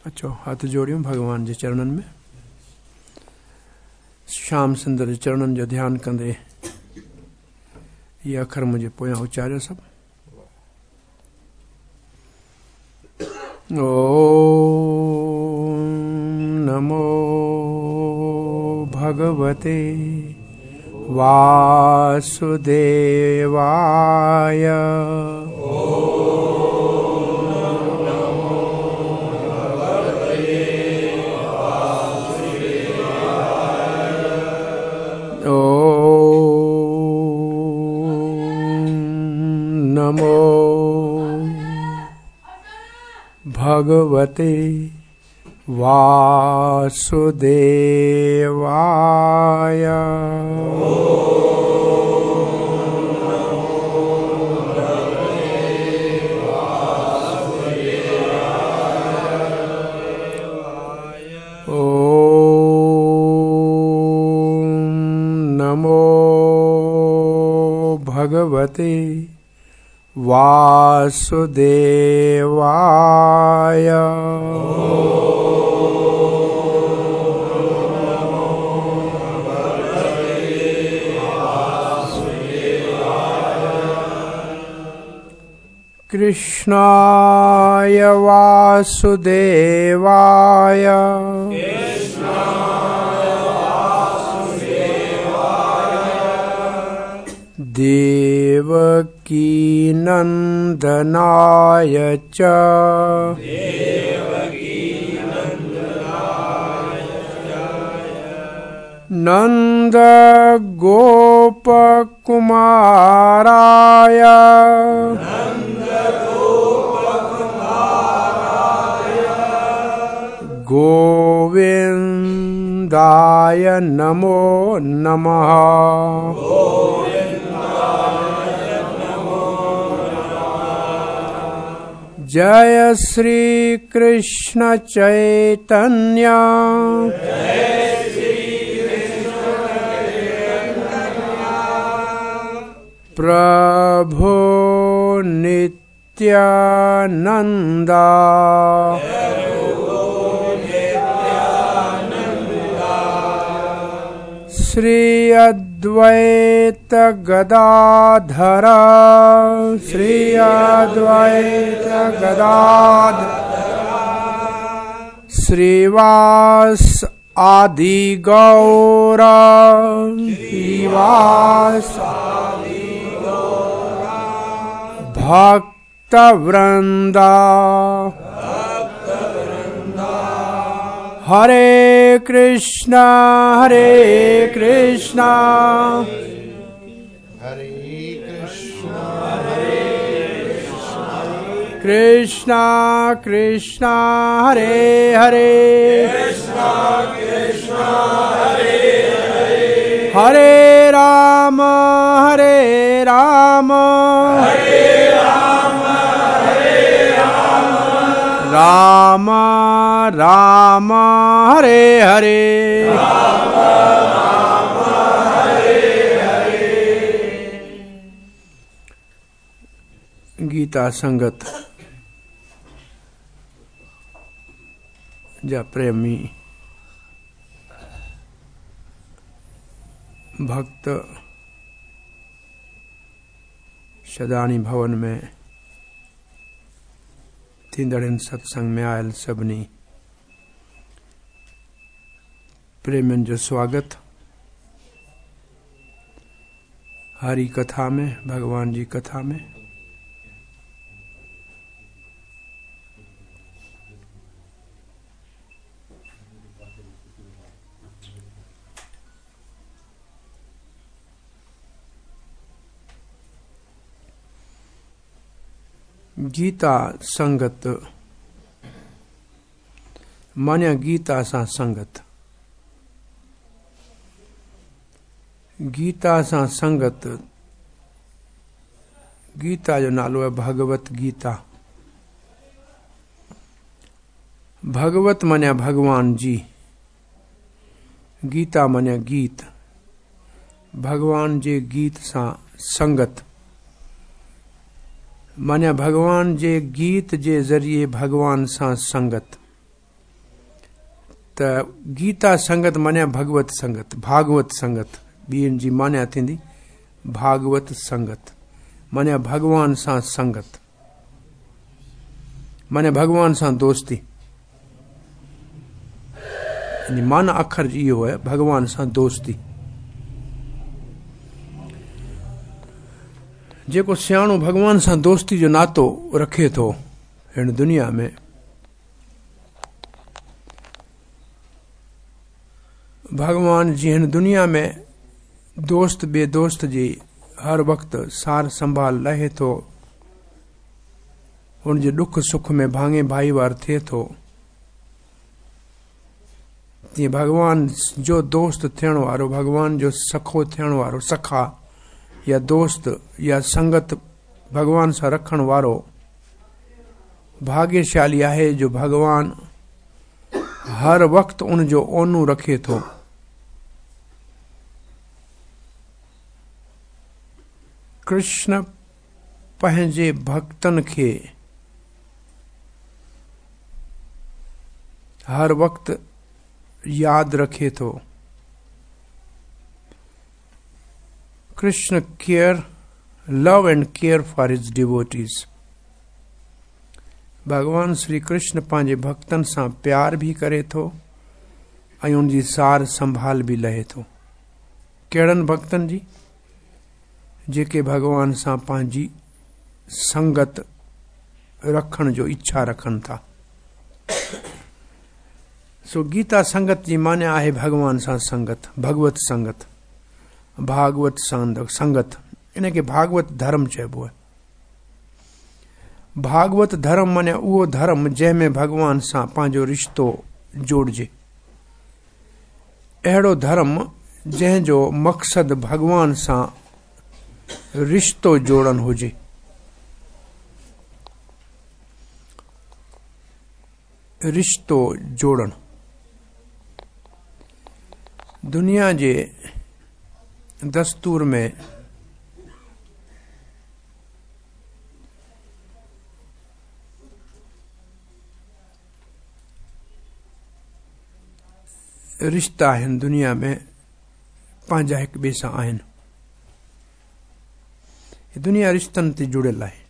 अचो हथ जोड़ियूं भॻवान जे चरणनि में। श्याम सुंदर जे चरणनि जो ध्यानु कंदे इहे अखर मुंहिंजे पोयां उचारियो सभु। ओम नमो भगवते वासुदेवाय। ओम नमो भगवते वासुदेवाय। ओम नमो भगवते वासुदेवाय। कृष्णाय वासुदेवाय। देवकीनन्दनाय च। नन्दगोपकुमाराय। गोविन्दाय नमो नमः। जय श्री कृष्ण चैतन्य। प्रभु नित्यानंदा। श्री अद्वैत गदाधर। श्री अद्वैत गदाधर। श्रीवास आदि गौर। श्रीवास भक्त वृंदा। हरे कृष्णा हरे कृष्णा हरे कृष्णा हरे कृष्णा कृष्णा कृष्णा हरे हरे। कृष्णा कृष्णा हरे हरे। हरे राम हरे राम हरे राम हरे राम राम राम हरे हरे। राम राम हरे हरे। गीता संगत जा प्रेमी भक्त शदानी भवन में थींदड़ हिन सत्संग में आयल सभिनी प्रेमियुनि जो स्वागत। हरि कथा में, भगवान जी कथा में गीता संगत माना गीता सां संगत। गीता सां संगत, गीता जो नालो आहे भगवत गीता। भगवत माना भगवान जी, गीता माना गीत। भगवान जे गीत सां संगत माना भगवान जे गीत जे ज़रिए भगवान सां संगत। ته گيتا سنگت معنيٰ ڀڳوت سنگت، ڀاڳوت سنگت، ٻين جي معنيٰ ٿيندي ڀاڳوت سنگت معنيٰ ڀڳوان سان سنگت معنيٰ ڀڳوان سان دوستي. يعني معنيٰ اکر جي اهو آهي ڀڳوان سان دوستي. جيڪو سياڻو ڀڳوان سان دوستي جو ناتو رکي ٿو هن دنيا ۾ ڀڳوان جي هن دنيا ۾ دوست ٻئي دوست جي هر وقت سار سنڀال لهي ٿو، هن جي ڏک سک ۾ ڀاڱي ڀائيوار ٿئي ٿو، تيئن ڀڳوان جو دوست ٿيڻ وارو، ڀڳوان جو سکو ٿيڻ وارو، سکا يا دوست يا سنگت ڀڳوان سان رکڻ وارو ڀاڳيشالي آهي جو ڀڳوان هر وقت ان جو اونو رکي ٿو. ڪرشن پنهنجي ڀڳتن کي هر وقت ياد رکي ٿو. Krishna care, love and care for his devotees. ڀڳوان شري ڪرشن پنهنجي ڀڳتن سان پيار به ڪري ٿو ۽ ان جي سار سنڀال به لهي ٿو. ڪهڙن ڀڳتن جي؟ جيڪي ڀڳوان سان پنهنجي سنگت رکڻ جو اڇا رکن ٿا. سو گيتا سنگت جي معنيٰ آهي ڀڳوان سان سنگت، ڀڳوت سنگت، ڀاڳوت سنگت، ان کي ڀاڳوت ڌرم چئبو آهي. ڀاڳوت ڌرم معنيٰ اهو ڌرم جنهن ۾ ڀڳوان سان پنهنجو رشتو جوڙجي. اهڙو ڌرم جنهن جو مقصد ڀڳوان سان رشتو جوڙڻ هجي. رشتو جوڙڻ دنيا جي دستور ۾ رشتا آهن دنيا ۾ پنهنجا هڪ ٻئي سان آهن. دنيا رشتن تي جڙيل آهي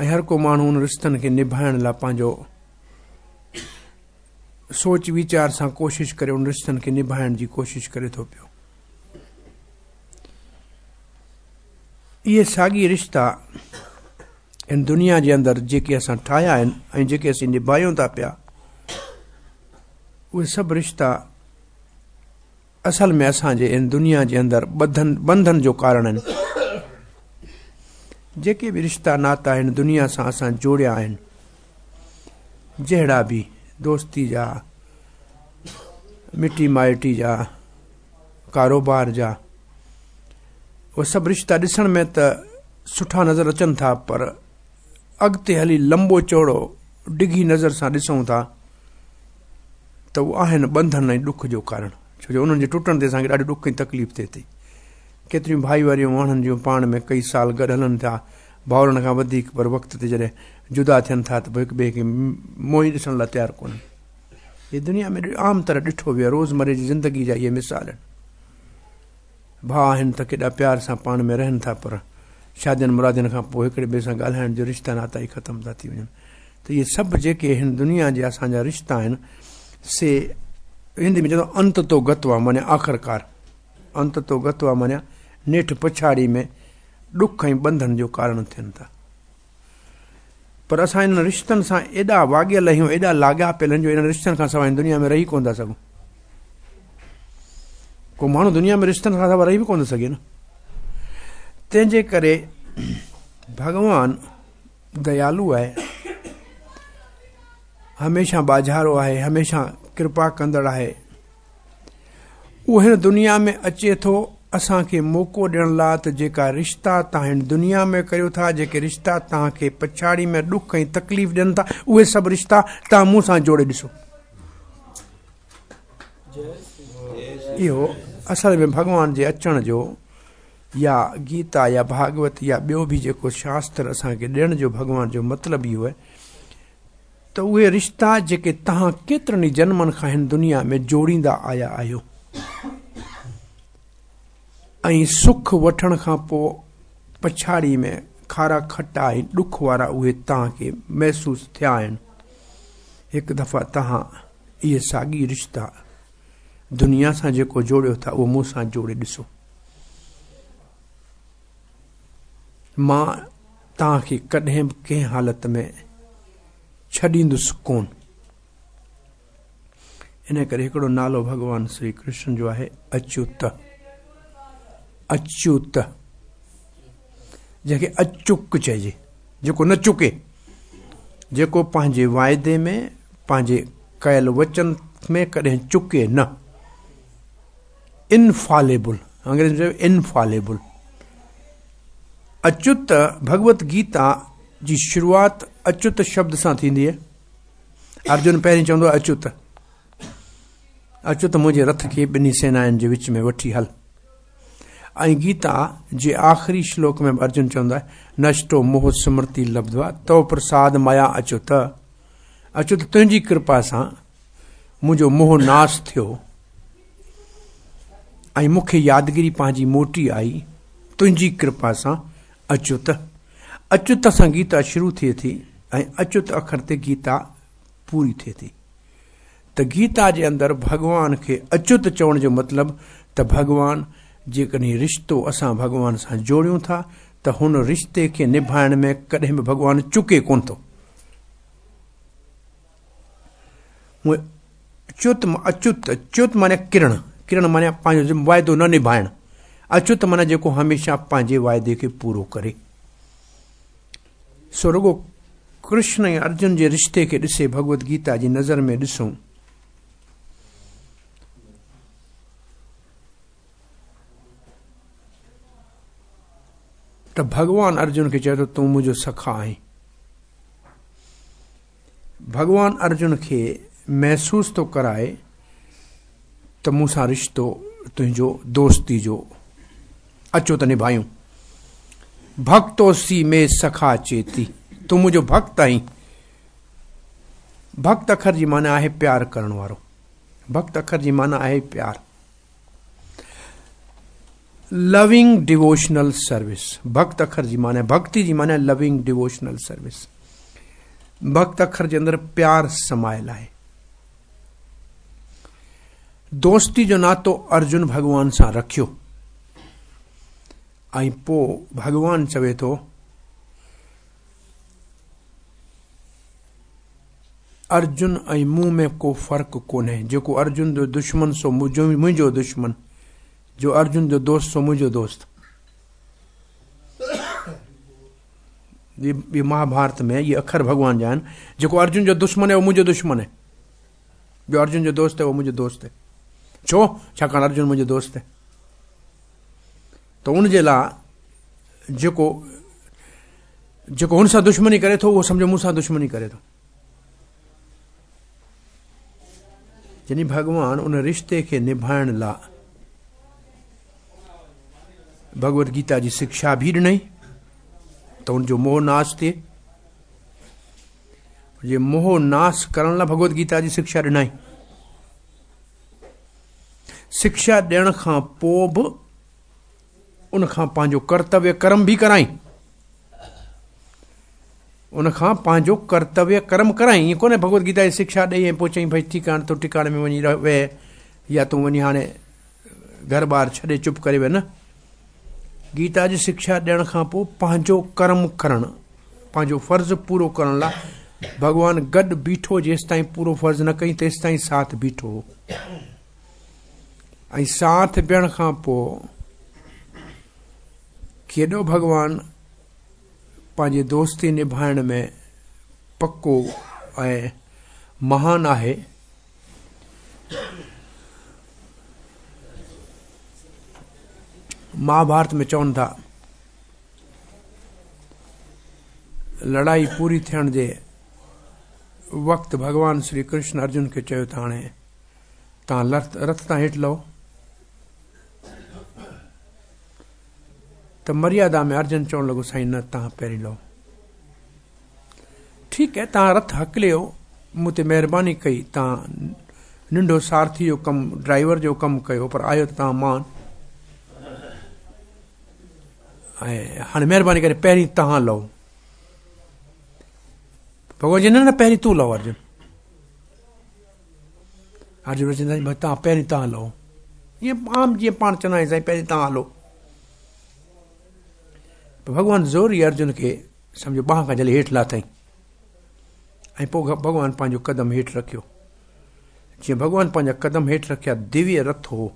۽ هر ڪو ماڻهو ان رشتن کي نڀائڻ لاء پنهنجو سوچ ويچار سان ڪوشش ڪري ان رشتن کي نڀائڻ جي ڪوشش ڪري ٿو پيو. اهي ساڳي رشتا هن دنيا جي اندر جيڪي اسان ٺاهيا آهن ۽ جيڪي اسين نڀايون ٿا پيا اهي سڀ رشتا اصل ۾ اسان جي هن دنيا جي اندر ٻڌن بنڌن جو ڪارڻ آهن. جيڪي به رشتا ناتا هن دنيا سان اسان جوڙيا آهن جهڙا به دوستي جا مٽي مائٽي جا ڪاروبار جا اهي سڀ رشتا ڏسڻ ۾ ته سٺا نظر اچن ٿا پر اڳتي هلي لمبو چوڙو ڊگهي نظر سان ڏسون ٿا ته اهي آهن ٻنڌن ۽ ڏک جو ڪارڻ ڇو جو انهن جي ٽٽڻ تي اسان کي ڏاڍو ڏک ۽ تڪليف ٿئي ٿي ڪيتريون ڀائيواريون ماڻهن جون پاڻ ۾ ڪئي سال گڏ هلن ٿا ڀائرن کان وڌيڪ پر وقت تي جڏهن جدا ٿين ٿا ته پوء هڪ ٻئي کي منهن ئي ڏسڻ لاء تيار ڪونهن هي دنيا ۾ عام طرح ڏٺو ويو آهي روزمري جي زندگي جا اهي مثال آهن ڀاء آهن ته ڪيڏا پيار سان پاڻ ۾ رهن ٿا پر شادين مرادين کان پوء هڪڙي ٻئي سان ڳالهائڻ جو رشتا ناتا ئي ختم ٿا ٿي وڃن ته اهي سڀ جيڪي هن دنيا جي اسان جا رشتا آهن سي هندي ۾ چوندو انت تو گتوا معنيٰ آخرڪار انت تو گتوا معنيٰ نيٺ پڇاڙي ۾ ڏک ۽ ٻنڌن جو ڪارڻ ٿين ٿا پر اسان انهن رشتن سان ايڏا واڳيل آهيون ايڏا لاڳاپيل آهن جو انهن رشتن کان سواء دنيا ۾ رهي ڪونه ٿا سگهون ڪو ماڻهو دنيا ۾ رشتن کان سواء رهي به ڪونه ٿو سگهي نه تنهن جي ڪري ڀڳوان ديالو آهي هميشه ٻاجهارو آهي هميشه ڪرپا ڪندڙ آهي اهو هن دنيا ۾ اچي ٿو اسان کي موقعو ڏيڻ لاء ته جيڪا رشتا توهان هن دنيا ۾ ڪريو ٿا، جيڪي رشتا توهان کي پڇاڙي ۾ ڏک ۽ تڪليف ڏين ٿا، اهي سڀ رشتا توهان مون سان جوڙي ڏسو. اهو اصل ۾ ڀڳوان جي اچڻ جو يا گيتا يا ڀاڳوت يا ٻيو به جيڪو شاستر اسان کي ڏيڻ جو ڀڳوان جو مطلب اهو آهي. ته اهي رشتا جيڪي توهان ڪيترن ئي جنمن کان هن دنيا ۾ جوڙيندا آيا آهيو ۽ سک وٺڻ کان پوء پڇاڙي ۾ کارا کٽا ۽ ڏک وارا اهي توهان کي محسوس ٿيا آهن. هڪ دفعا توهان اهي ساڳي رشتا دنيا سان جيڪو جوڙيو ٿا اهو مون سان جوڙي ڏسو. مان توهان کي ڪڏهن به ڪنهن حالت ۾ ڇڏيندس ڪون. ان ڪري هڪڙو نالو ڀڳوان شري ڪرشن جو آهي اچوت. اچوت جنهن کي اچوڪ چئجي، جيڪو نه چڪي، جيڪو پنهنجي واعدي ۾ پنهنجي ڪيل وچن ۾ ڪڏهن چڪي نه. انفاليبل، انگريزي ۾ چئبو انفاليبل. اچوت ڀڳوت گيتا جي شروعات اچوت شبد سان ٿيندي آهي. ارجن پهرين چوندو آهي اچوت، اچوت منهنجي رٿ کي ٻنهي سينائن جي وچ ۾ وٺي هل. ۽ گيتا جي آخري شلوڪ ۾ به ارجن چوندو آهي نشٽو موه سمرتي لبڌوا تو پرساد ميا اچوت، اچوت تنهنجي ڪرپا سان منهنجو موه ناس ٿيو ۽ مون کي يادگيري پنهنجي موٽي آئي تنهنجي ڪرپا سان اچوت. اچوت سان گيتا شروع ٿئي ٿي ۽ اچوت اکر تي گيتا پوري ٿئي ٿي. ته گيتا جي اندر ڀڳوان کي اچوت چوڻ جو مطلب ته ڀڳوان جيڪڏهن رشتو اسان ڀڳوان سان جوڙيون ٿا ته هن رشتي کي نڀائڻ ۾ ڪڏهن به ڀڳوان چڪي ڪونه ٿو. چت اچت، چت معنيٰ ڪرڻ، ڪرڻ معنيٰ پنهنجو واعدو نه نڀائڻ، اچت معنيٰ جيڪو هميشه پنهنجي واعدي کي پورو ڪري. سو رڳو ڪرشن ۽ ارجن جي رشتي کي ڏسي ڀڳوت گيتا جي نظر ۾ ڏسون ته ڀڳوان ارجن کي چئي ٿو تون منهنجو سکا آهين. ڀڳوان ارجن کي محسوس ٿو ڪرائي ته مون سان رشتو تنهنجو دوستي جو اچو ته نڀايون. ڀڳتوسي مي سکا چيتي، تون منهنجو ڀڳت آهين. ڀڳت اکر جي معنيٰ آهي پيار ڪرڻ وارو. ڀڳت اکر جي معنيٰ آهي پيار. لونگ ڊيووشنل سروس، ڀڳت اکر جي معنيٰ، ڀڳتي جي معنيٰ لونگ ڊيووشنل سروس. ڀڳت اکر جي اندر پيار سمايل آهي. دوستي جو ناتو ارجن ڀڳوان سان رکيو ۽ پوء ڀڳوان چوي ٿو ارجن ۽ مون ۾ ڪو فرق ڪونهي، جيڪو ارجن جو دشمن سو منهنجو دشمن، جو ارجن جو دوست سو منهنجو دوست. هي مهاڀارت ۾ اهي اکر ڀڳوان جا آهن، جيڪو ارجن جو دشمن آهي اهو منهنجو دشمن آهي، جو ارجن جو دوست آهي اهو منهنجو دوست آهي. ڇو؟ ڇاڪاڻ ارجن منهنجو دوست آهي. ته ان جي لاء جيڪو جيڪو هن سان دشمني ڪري ٿو اهو سمجهو مون سان دشمني ڪري ٿو. يعني ڀڳوان ان رشتي کي نڀائڻ لاء ڀڳوت گيتا جي شکشا به ڏنئي ته ان جو موه ناس ٿئي. جي موه ناس ڪرڻ لاء ڀڳوت گيتا جي شکشا ڏنائي. شکشا ڏيڻ کان پوء به ان کان پنهنجو ڪرتويه ڪرم به ڪرائين. ان کان پنهنجو ڪرتويه ڪرم ڪرائين. ائين ڪونهي ڀڳوت گيتا جي شکشا ڏئي ۽ پوء چئين ڀئي ٺيڪ آهي هاڻي تون ٽڪاڻي ۾ وڃي ويهه يا تون وڃي هاڻي گهر ٻار ڇڏي چپ ڪري ويهه. نه، گيتا جي شکشا ڏيڻ کان پوء پنهنجو ڪرم ڪرڻ، پنهنجو فرض پورو ڪرڻ لاء ڀڳوان گڏ بيٺو، جيستائين پورو فرض نه ڪئي تيستائين ساٿ بيٺو هو. ۽ ساٿ بيهڻ کان پوء ڪيڏو ڀڳوان پنهنجي دوستي نڀائڻ ۾ پڪو ۽ مهان آهي. مهاڀارت ۾ چون ٿا لڙائي پوري ٿيڻ جي وقت ڀڳوان شري ڪرشن ارجن کي چيو ته هاڻي تان رٿ تان هيٺ لهو. ته مريادا ۾ ارجن چوڻ لڳو سائين نه تان پهرين لهو. ٺيڪ آهي تان رٿ هڪليو مون تي مهرباني ڪئي، توهان ننڍو سارٿي جو ڪم، ڊرائيور جو ڪم ڪيو، پر آيو ته توهان مان ۽ هاڻي مهرباني ڪري پهرين توهان لهو. ڀڳوان چئي نه نه پهرين تون لهو ارجن. ارجن چئي سائين توهان پهرين توهان لهو. ائين عام جيئن پاڻ چوندا آهيون سائين پهرين توهان هلو. ڀڳوان زوري ارجن کي سمجهو ٻانهن کان جهلي هيٺ لاٿائين ۽ پوء ڀڳوان پنهنجو قدم هيٺ رکيو. جيئن ڀڳوان پنهنجا قدم هيٺ رکيا دويه رٿ هو.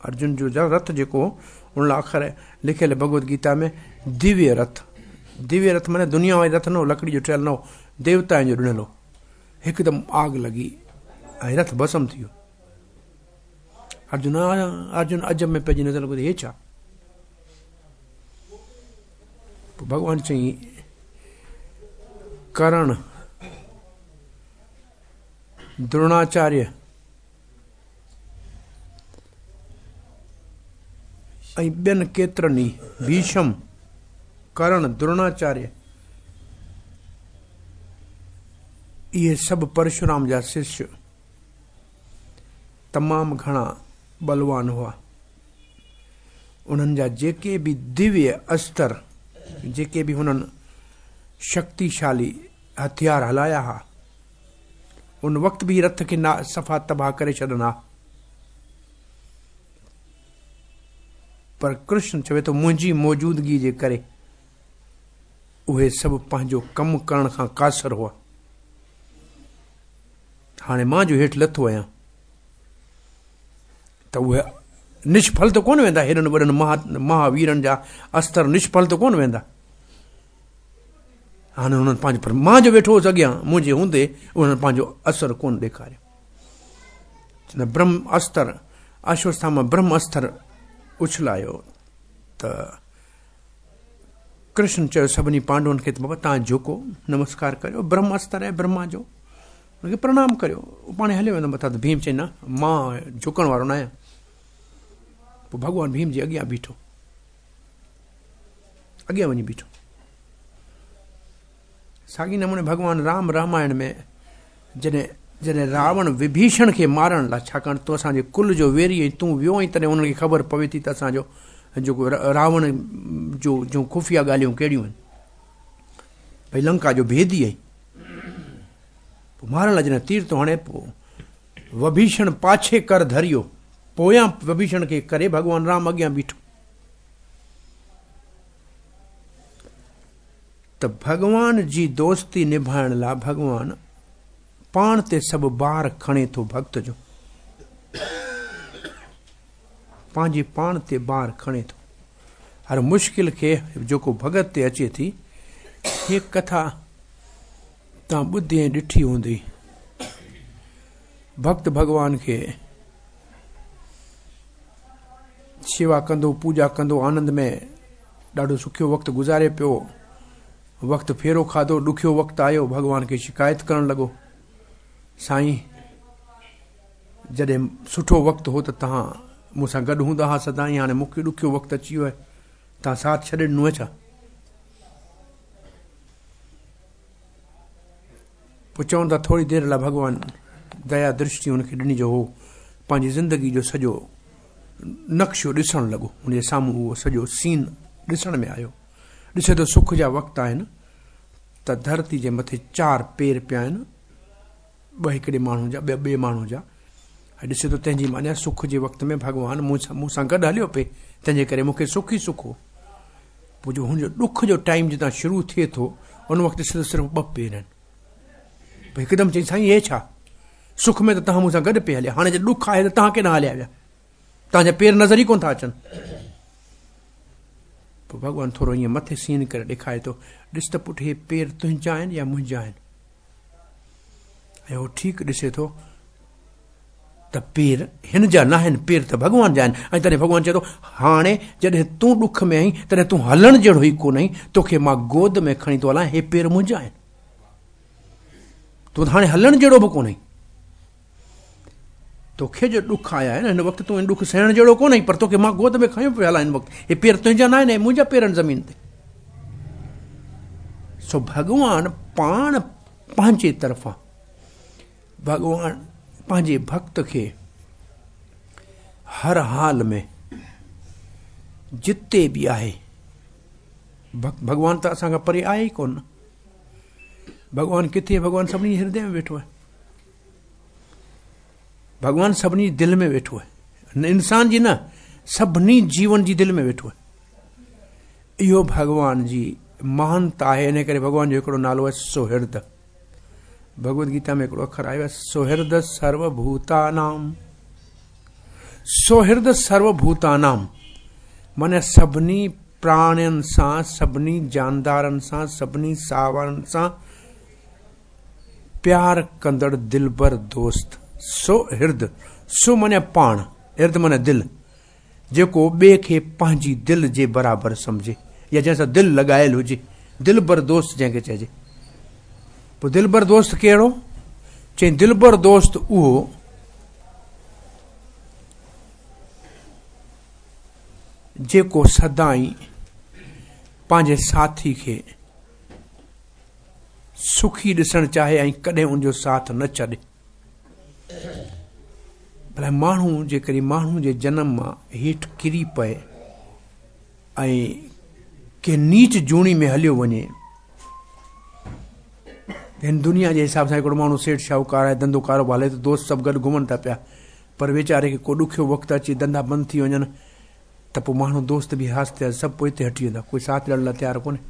ارجن جو رٿ جيڪو هو ان لاء اکر لکيل ڀڳوت گيتا ۾ دويه رٿ. دويه رٿ معنيٰ دنيا واري رٿ نه هو، لڪڙي جو ٺهيل نه هو، ديوتائن جو ڏنل هو. هڪدم آگ لڳي ۽ رٿ ڀسم ٿي ويو. ارجن ارجن عجب ۾ پئجي نظر لڳو ته هي ڇا؟ پوء ڀڳوان چيائين ڪرڻ دروناچاريه ۽ ٻين ڪيترن ئي ڀيشم، ڪرڻ، دروناچاريه اهي سڀ پرشورام جا ششيه تمام گهڻا ٻلوان هئا. انهن جا جيڪي به دويه استر، جيڪي به هنن شڪتيشالي هٿيار هلايا ها، ان وقت به رٿ کي صفا تباهه ڪري ڇڏن ها. پر ڪرشن چوي ٿو منهنجي موجودگي جي ڪري اهي سڀ پنهنجو ڪم ڪرڻ کان قاصر هئا. هاڻي مان جو هيٺ لٿو آهيان ته اهي نشڦل ته ڪونه ويندا، هيڏن وڏن مهاويرن جا استر نشڦل ته ڪونه ويندا. هاڻي هنن پنهنجو پر مان جو ويٺو هوس اڳيان منهنجي هوندي انهن پنهنجو اثر ڪونه ڏيکاريو. چوندا برهم استر اشوٿاما برهم استر اڇلايو ته ڪرشن چيو سڀني پانڊون کي ته بابا تان جهڪو نمسڪار ڪريو برهم استر آهي برهما جو ان کي پرڻام ڪريو پاڻ هليو ويندو مٿان ته ڀيم چئي نه مان جهڪڻ وارو نه آهيان. پوء ڀڳوان ڀيم جي اڳيان بيٺو، اڳيان وڃي بيٺو. ساڳي نموني ڀڳوان رام رامائڻ ۾ جڏهن جڏهن راوڻ وڀيشڻ کي مارڻ لاء، ڇاڪاڻ تون اسان جي ڪل جو ويري ۽ تون ويو آهين تڏهن انهن کي خبر پوي ٿي ته اسان جو جيڪو راوڻ جو جون خفيه ڳالهيون ڪهڙيون آهن، ڀئي لنڪا جو ڀيدي آهين. پوء مارڻ لاء جڏهن تير ٿو هڻي پوء وڀيشڻ پاڇي ڪر ڌريو، پويان وڀيشڻ کي ڪري ڀڳوان رام اڳيان بيٺو ته ڀڳوان جي دوستي نڀائڻ لاء ڀڳوان پاڻ تي سڀ بار کڻي ٿو، ڀڳت جو پنهنجي پاڻ تي بار کڻي ٿو، هر مشڪل کي جيڪو ڀڳت تي اچي ٿي. هي ڪٿا توهان ٻڌي ۽ ڏٺي هوندي. ڀڳت ڀڳوان کي شيوا ڪندو، پوڄا ڪندو، آنند ۾ ڏاڍو سکيو وقت گذاري پيو. وقت ڦيرو کاڌو، ڏکيو وقت آيو، ڀڳوان کي شڪايت ڪرڻ لڳو، سائين جڏهن سٺو وقت هو ته توهان مون سان گڏ هوندا ها سدائين، هاڻي مون کي ڏکيو وقت اچي ويو آهي، توهان ساٿ ڇڏي ڏنو آهي ڇا؟ پوء چون ٿا ٿوري دير لاء ڀڳوان ديا درشٽي هن کي ڏني جو هو پنهنجي زندگي جو سڄو نقشو ڏسڻ لڳو. هن جي سامهون اهو سڄو سين ڏسڻ ۾ آيو. ڏسي ٿو سک جا وقت آهن ته ڌرتي جي مٿي چار پير پيا آهن، ٻه هڪڙي ماڻهو جا، ٻه ٻئي ماڻهو جا. ۽ ڏسي ٿو تنهن جي معنيٰ سک جي وقت ۾ ڀڳوان مون سان گڏ هليو پئي، تنهن جي ڪري مون کي سک ئي سک هو. پوء جو هن جو ڏک جو ٽائيم جتان شروع ٿئي ٿو ان وقت ڏسي ته صرف ٻه پير آهن. پوء هڪدم چئي سائين هي ڇا؟ سک ۾ ته توهان مون سان گڏ پئي هليا، هاڻي جي ڏک آهي ته توهان ڪيڏانهن هليا ويا؟ توهان جا پير نظر ئي ڪونه ٿا اچن. پوء ڀڳوان ٿورو ائين مٿي سين ڪري ڏيکاري ٿو، ڏس ته پٽ هي پير تنهنجا آهن يا منهنجا آهن؟ ۽ هو ٺيڪ ڏسي ٿو ته پير هن جا ناهن، پير ته ڀڳوان جا آهن. ۽ تڏهن ڀڳوان چئي ٿو، هاڻي جڏهن تون ڏک ۾ آهين، تڏهن تون هلڻ جهڙو ئي ڪونه آهين، توکي مان گود ۾ کڻي ٿو هلان، هي پير منهنجا آهن، تون ته هاڻي هلڻ جهڙو به ڪونه آهين. توکي جو ڏک آيا آهن هن وقت تون هن ڏک سهڻ جهڙو ڪونه آهين، پر توکي مان گود ۾ کنيو پيو هلان هن وقت، هي پير تنهنجا ناهن، هي منهنجا پير آهن زمين تي. سو ڀڳوان پاڻ پنهنجي طرفان ڀڳوان پنهنجي ڀڳت کي هر حال ۾ جتي به آهي، ڀڳوان ته اسان کان پري آهي ئي ڪونه. ڀڳوان ڪٿي؟ ڀڳوان سڀني جي هردي ۾ ويٺو آهي. ڀڳوان سڀني جي دل ۾ ويٺو آهي. انسان جي نه، سڀني جيون جي دل ۾ ويٺو آهي. اهو ڀڳوان جي مهانتا آهي. ان ڪري ڀڳوان جو هڪڙو نالو آهي سوهرد. ڀڳوت گيتا ۾ هڪڙو اکر آيو آهي سوهرد سرو ڀوتانام. سوهرد سرو ڀوتانام معنيٰ سڀني پراڻين سان، سڀني جاندارن سان، سڀني ساهوارن سان پيار ڪندڙ دلبر دوست. سوهرد، سو معنيٰ پاڻ، هرد معنيٰ دل، جيڪو ٻئي کي پنهنجي دل جي برابر سمجهي يا جنهن سان دل لڳايل هجي، دلبر دوست جنهن کي چئجي. پوء دلبر دوست ڪهڙو؟ چئين دلبر دوست اهو جيڪو سدائين پنهنجي ساٿي کي سکي ڏسڻ چاهي ۽ ڪڏهن ان جو ساٿ نه ڇڏي. ڀلا ماڻهو جيڪڏهن ماڻهو جي جنم مان هيٺ ڪري پئي ۽ ڪنهن نيچ جوڻي ۾ هليو وڃي، هن دنيا جي حساب سان هڪڙو ماڻهو سيٺ شاهوڪار آهي، ڌنڌو ڪاروبار هلي ٿو، دوست سڀ گڏ گهمن ٿا پيا، پر ويچاري کي ڪو ڏکيو وقت اچي ڌنڌا بند ٿي وڃن ته پوء ماڻهو دوست به آهستي آهستي سڀ پوئتي هٽي ويندا، ڪوئي ساٿ ڏيڻ لاء تيار ڪونهي.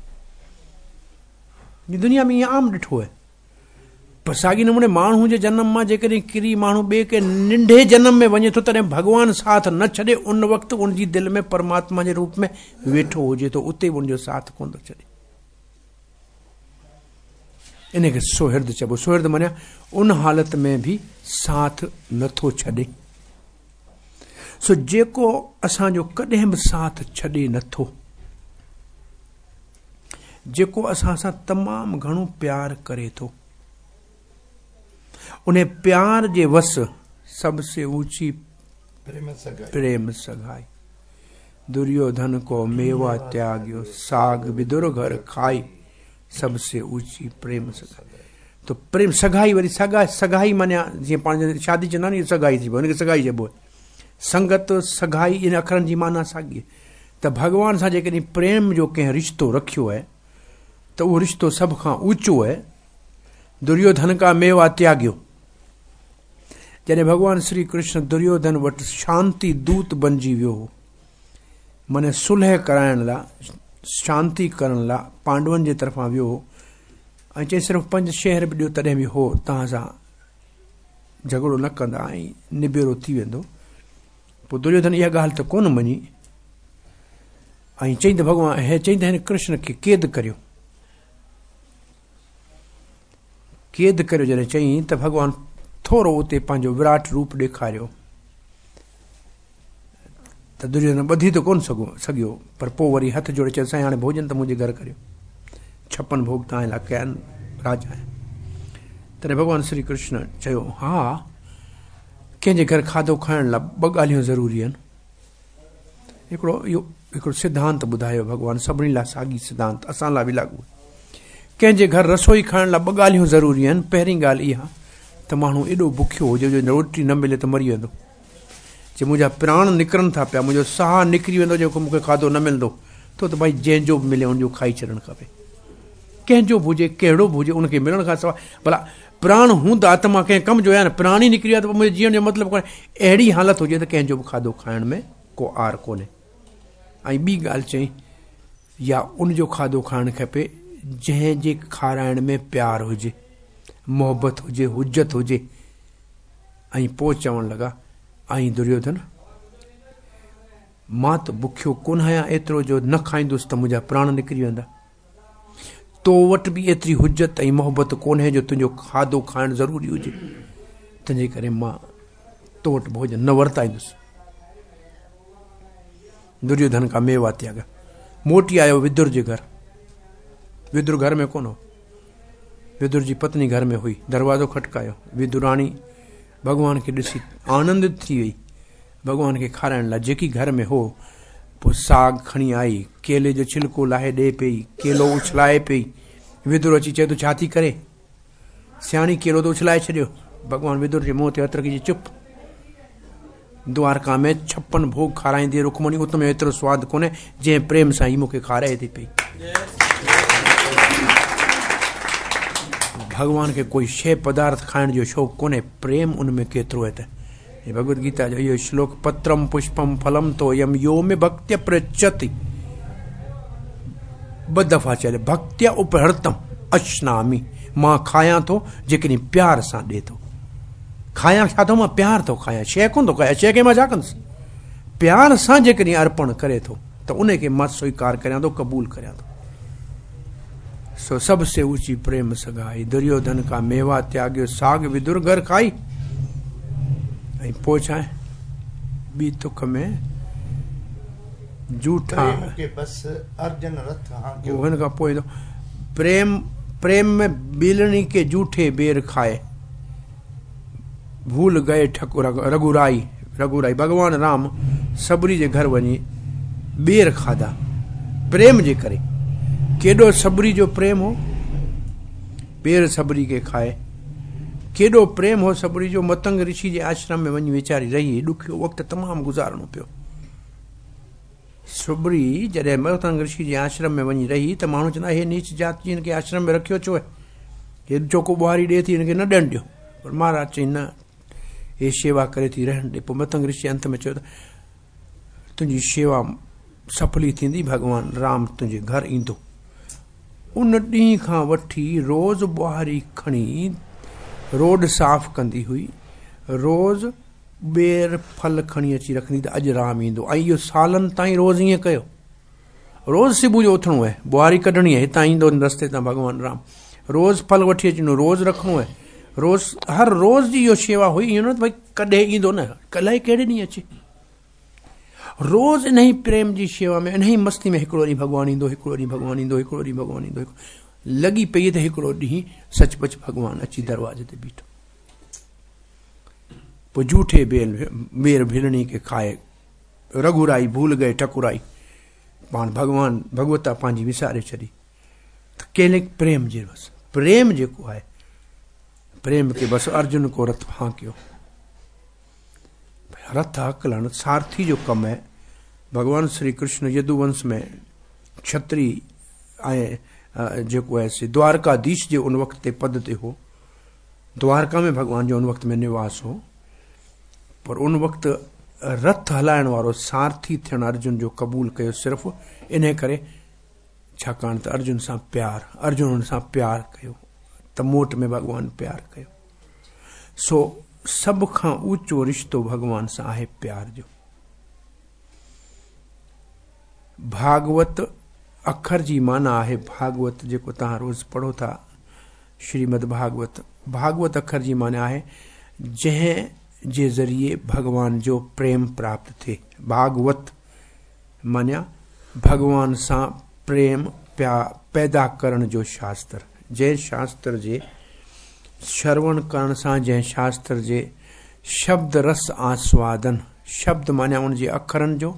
دنيا ۾ ائين عام ڏٺو آهي. پر ساڳي نموني ماڻهو جي جنم مان جيڪڏهن ڪري ماڻهو ٻئي ڪنهن ننڍي جنم ۾ وڃي ٿو تڏهن ڀڳوان ساٿ نه ڇڏي، ان وقت ان جي دل ۾ پرماتما جي روپ ۾ ويٺو هجي ٿو، اتي به ان جو ساٿ ڪونه ٿو ڇڏي. ان کي سوهرد چئبو. سوهرد معنيٰ ان حالت ۾ به ساٿ نٿو ڇڏي. سو جيڪو اسان جو ڪڏهن به ساٿ ڇڏي نٿو، جيڪو اسان سان تمام گهڻو پيار ڪري ٿو، ان پيار جي وس سڀ سي اوچي پريم سگهائي. دريوڌن ڪو ميوا تياڳيو، ساڳ ودر گهر کائي، سڀ سي اوچي پريم سگهائي. تو پريم سگهائي وري سگهائي معنيٰ جيئن پاڻ شادي چوندا آهن سگهائي ٿي پوي، ان کي سگهائي چئبو آهي. سنگت سگهائي ان اکرن جي معنيٰ ساڳي آهي. ته ڀڳوان سان جيڪڏهن پريم جو ڪنهن رشتو رکيو آهي ته اهو رشتو سڀ کان اوچو آهي. دريوڌن ڪا ميوا تياڳيو. جڏهن ڀڳوان شري ڪرشن دريوڌن وٽ شانتي دوت بنجي ويو هو، معنيٰ صلح ڪرائڻ لاء، شانتي ڪرڻ لاء پانڊون جي طرفان ويو هو ۽ چئي صرف 5 شهر به ڏيو تڏهن به هو توهان سان جهڳڙو نه ڪندا ۽ نبيرو ٿي ويندو. پوء دريوڌن اها ڳالهه ته ڪونه مڃي ۽ چئي ته ڀڳوان هي چئي ته هن ڪرشن کي قيد ڪريو. قيد ڪريو جڏهن چئين ته ڀڳوان ٿورو اتي پنهنجو وراٽ روپ ڏيکاريو ته دريوڌن ٻڌي ته ڪونه سگهيو، پر پوء وري هٿ جوڙي چيو سائين هاڻي ڀوڄن ته منهنجي گهر ڪريو، 56 ڀوڳ توهان لاء ڪيا آهن، راجا آهيان. تڏهن ڀڳوان شري ڪرشن چيو ها ڪنهن جي گهر کاڌو کائڻ لاء 2 ڳالهيون ضروري آهن. هڪڙو اهو هڪڙو سڌانت ٻڌايو ڀڳوان، سڀني لاء ساڳي سڌانت اسان لاء به لاڳو آهي. ڪنهن جي گهر رسوئي کائڻ لاء 2 ڳالهيون ضروري آهن. پهرين ڳالهه اها ته ماڻهو ايڏو بکيو هجي جو روٽي نه ملي ته مري ويندو. چي منهنجا پراڻ نڪرن ٿا پيا، منهنجو ساهه نڪري ويندو جيڪو مون کي کاڌو نه ملندو ٿو ته ڀائي جنهن جو به ملي ان جو کائي ڇڏڻ کپي. ڪنهن جو به هجي ڪهڙو به هجي ان کي ملڻ کان سواء ڀلا پراڻ هوندا ته مان ڪنهن ڪم جو آهيان نه، پراڻ ئي نڪري ويا ته پوء منهنجي جيئڻ جو مطلب ڪونهي. اهڙي حالت هجي ته ڪنهن جو به کاڌو کائڻ ۾ ڪو عار ڪونهي. ۽ ٻي ڳالهه چئي يا ان جو کاڌو کائڻ کپي جنهن جي کارائڻ ۾ پيار هجي، محبت هجي، حجت هجي. ۽ پوء چوڻ لڳا، ۽ دريوڌن! مان ته بکيو ڪونه آهيان ايترو جو نه کائيندس ته منهنجا پراڻ نڪري ويندا. تو وٽ به ايتري حجت ۽ محبت ڪونهي جو تنهنجو کاڌو کائڻ ضروري هجي، تنهنجي ڪري مان تو وٽ ڀوڄن نه ورتائيندس. دريوڌن کان ميوا تياڳ. موٽي آيو ودر جي گهر. ودر گهر ۾ ڪونه هو. ودر جي پتني گهر ۾ هئي. دروازو کٽڪايو. ودراڻي ڀڳوان کي ڏسي آنندت ٿي وئي. ڀڳوان کي کارائڻ لاء جيڪي گهر ۾ هو، پوء ساڳ کڻي آئي، ڪيلي جو ڇلڪو لاهي ڏئي پئي، ڪيلو اڇلائي پئي. ودر اچي چئي ٿو ڇا ٿي ڪري؟ سياڻي ڪيلو ته اڇلائي ڇڏيو. ڀڳوان ودر جي منهن تي هٿ رکي چيو چپ. دوارڪا ۾ ڇپن ڀوڳ کارائيندي رڪمڻي ات ۾ ايترو سواد ڪونهي جنهن پريم سان هي مون کي کارائي ٿي پئي. ڀڳوان کي ڪوئي شيء پدارٿ کائڻ جو شوق ڪونهي، پريم ان ۾ ڪيترو آهي ته هي ڀڳوت گيتا جو اهو شلوڪ پترم پشپم ڦلم تويم يو مي ڀڪتيا پرچتي ٻه دفعا چيل ڀڪتيا اپهرتم اشنامي مان کايان ٿو جيڪڏهن پيار سان ڏي ٿو. کايان ڇا ٿو مان پيار ٿو کايان شيء ڪونه ٿو کايان شيء کي مان ڇا ڪندس پيار سان جيڪڏهن ارپڻ ڪري ٿو ته ان کي مان سويڪار ڪريان ٿو قبول ڪريان ٿو سو سڀ سي اوچي پريم سگائي دريوڌن کا ميوا تياڳيو ساڳ ودر گهر کائي ۽ پوء ڇا ٻي تک ۾ جوٺا پريم کي بس ارجن رٿ هانڪيو هن کان پوء پريم پريم ۾ بيلڻي کي جوٺي بير کائي ڀول گئي ٺڪر رگهورائي رگهورائي ڀڳوان رام سبري جي گهر وڃي ٻير کاڌا پريم جي ڪري ڪيڏو سبري جو پريم هو ٻير سبري کي کائي ڪيڏو پريم هو سبري جو متنگ رشي جي آشرم ۾ وڃي ويچاري رهي ڏکيو وقت تمام گذارڻو پيو سبري جڏهن متنگ رشي جي آشرم ۾ وڃي رهي ته ماڻهو چوندا هي نيچ جات جي هن کي آشرم ۾ رکيو ڇو آهي هي چوڪو ٻهاري ڏئي ٿي هن کي نه ڏيڻ ڏيو پر مهاراج چئي نه هي شيوا ڪري ٿي رهڻ ڏي پوء متنگ رشي انت ۾ چيو ته تنهنجي شيوا سڦلي ٿيندي ڀڳوان رام تنهنجي گهر ايندو ان ڏينهن کان وٺي روز ٻهاري کڻي روڊ صاف ڪندي هئي روز ٻير ڦل کڻي اچي رکندي ته اڄ رام ايندو ۽ اهو سالن تائين روز ائين ڪيو روز صبح جو اٿڻو آهي ٻهاري ڪڍڻي آهي هتان ايندو رستي تان ڀڳوان رام روز ڦل وٺي اچڻو روز رکڻو آهي روز هر روز جي اهو شيوا هئي ائين نه ته ڀئي ڪڏهن ايندو نه الائي ڪهڙي ڏينهن اچي روز انهي پريم جي شيوا ۾ انهي مستي ۾ هڪڙو ڏينهن ڀڳوان ايندو هڪڙو ڏينهن ڀڳوان ايندو هڪڙو ڏينهن ڀڳوان ايندو لڳي پئي ته هڪڙو ڏينهن سچ پچ ڀڳوان اچي دروازي تي بيٺو پوء جوٺي بيل ٻير ڀيلڻي کي کائي رگهورائي ڀول گئي ٺڪرائي پاڻ ڀڳوان ڀڳوتا پنهنجي وساري ڇڏي ته ڪيلڪ پريم جي بس پريم جيڪو آهي پريم کي بس ارجن کو رٿ ڦانڪيو رٿ هڪلڻ سارٿي جو ڪم آهي ڀڳوان شري ڪرشن يدوونش ۾ ڇتري ۽ جيڪو آهي سي دوارڪاڌيش جي ان وقت تي پد تي هو دوارڪا ۾ ڀڳوان جو ان وقت ۾ نواس هو پر ان وقت رٿ هلائڻ وارو سارٿي ٿيڻ ارجن جو قبول ڪيو صرف انهي ڪري ڇاڪاڻ ته ارجن سان پيار ارجن ان سان پيار ڪيو ته موٽ ۾ ڀڳوان پيار ڪيو سو سڀ کان اوچو رشتو ڀڳوان سان آهي پيار جو ڀاڳوت اکر جي معنيٰ آهي ڀاڳوت جيڪو توهان روز پڙهو ٿا شريمد ڀاڳوت، ڀاڳوت اکر جي معنيٰ آهي جنهن جي ذريعي ڀڳوان جو پريم پراپت ٿئي. ڀاڳوت معنيٰ ڀڳوان سان پريم پيدا ڪرڻ جو شاستر. جنهن شاستر جي شروڻ ڪرڻ سان جنهن شاستر جي شبد رس آسوادن، شبد معنيٰ ان جي اکرن جو،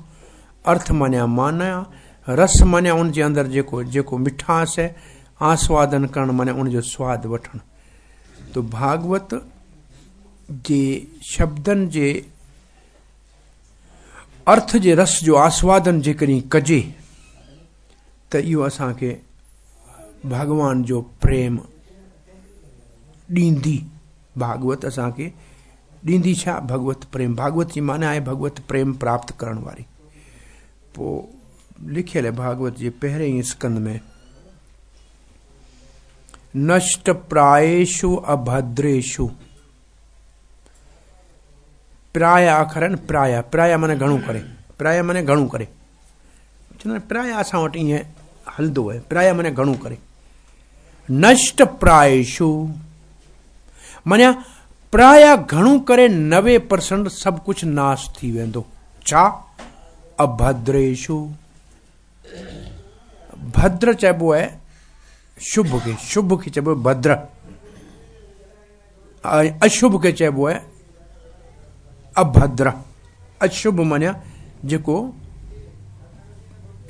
ارٿ معنيٰ معنيٰ، رس معنيٰ ان جي اندر جيڪو جيڪو مٺاس آهي، آسوادن ڪرڻ معنيٰ ان جو سواد وٺڻ. ته ڀاڳوت جي شبدن جي ارٿ جي رس جو آسوادن جيڪڏهن ڪجي ته اهو اسان کي ڀڳوان جو پريم ڏيندي. ڀاڳوت اسان کي ڏيندي ڇا؟ ڀڳوت پريم. ڀاڳوت جي معنيٰ آهي ڀڳوت پريم پراپت ڪرڻ واري. پوء لکيل آهي ڀاڳوت جي پهرئين اسڪند ۾ نشٽ پرايشو اڀدريشو پرايا اکر آهن پرايا پرايا معنيٰ گهڻو ڪري پرايا معنيٰ گهڻو ڪري چوندا آهن پرايا اسان وٽ ائين هلندو آهي پرايا معنيٰ گهڻو ڪري نشٽ پرايشو معنيٰ پرايا گهڻو ڪري 90% سڀ ڪجهه ناس ٿي ويندو ڇا اڀدريشو ڀدر چئبو آهي شڀ کي شڀ کي چئبو آهي ڀدر ۽ اشڀ کي چئبو آهي اڀدر اشڀ معنيٰ جيڪو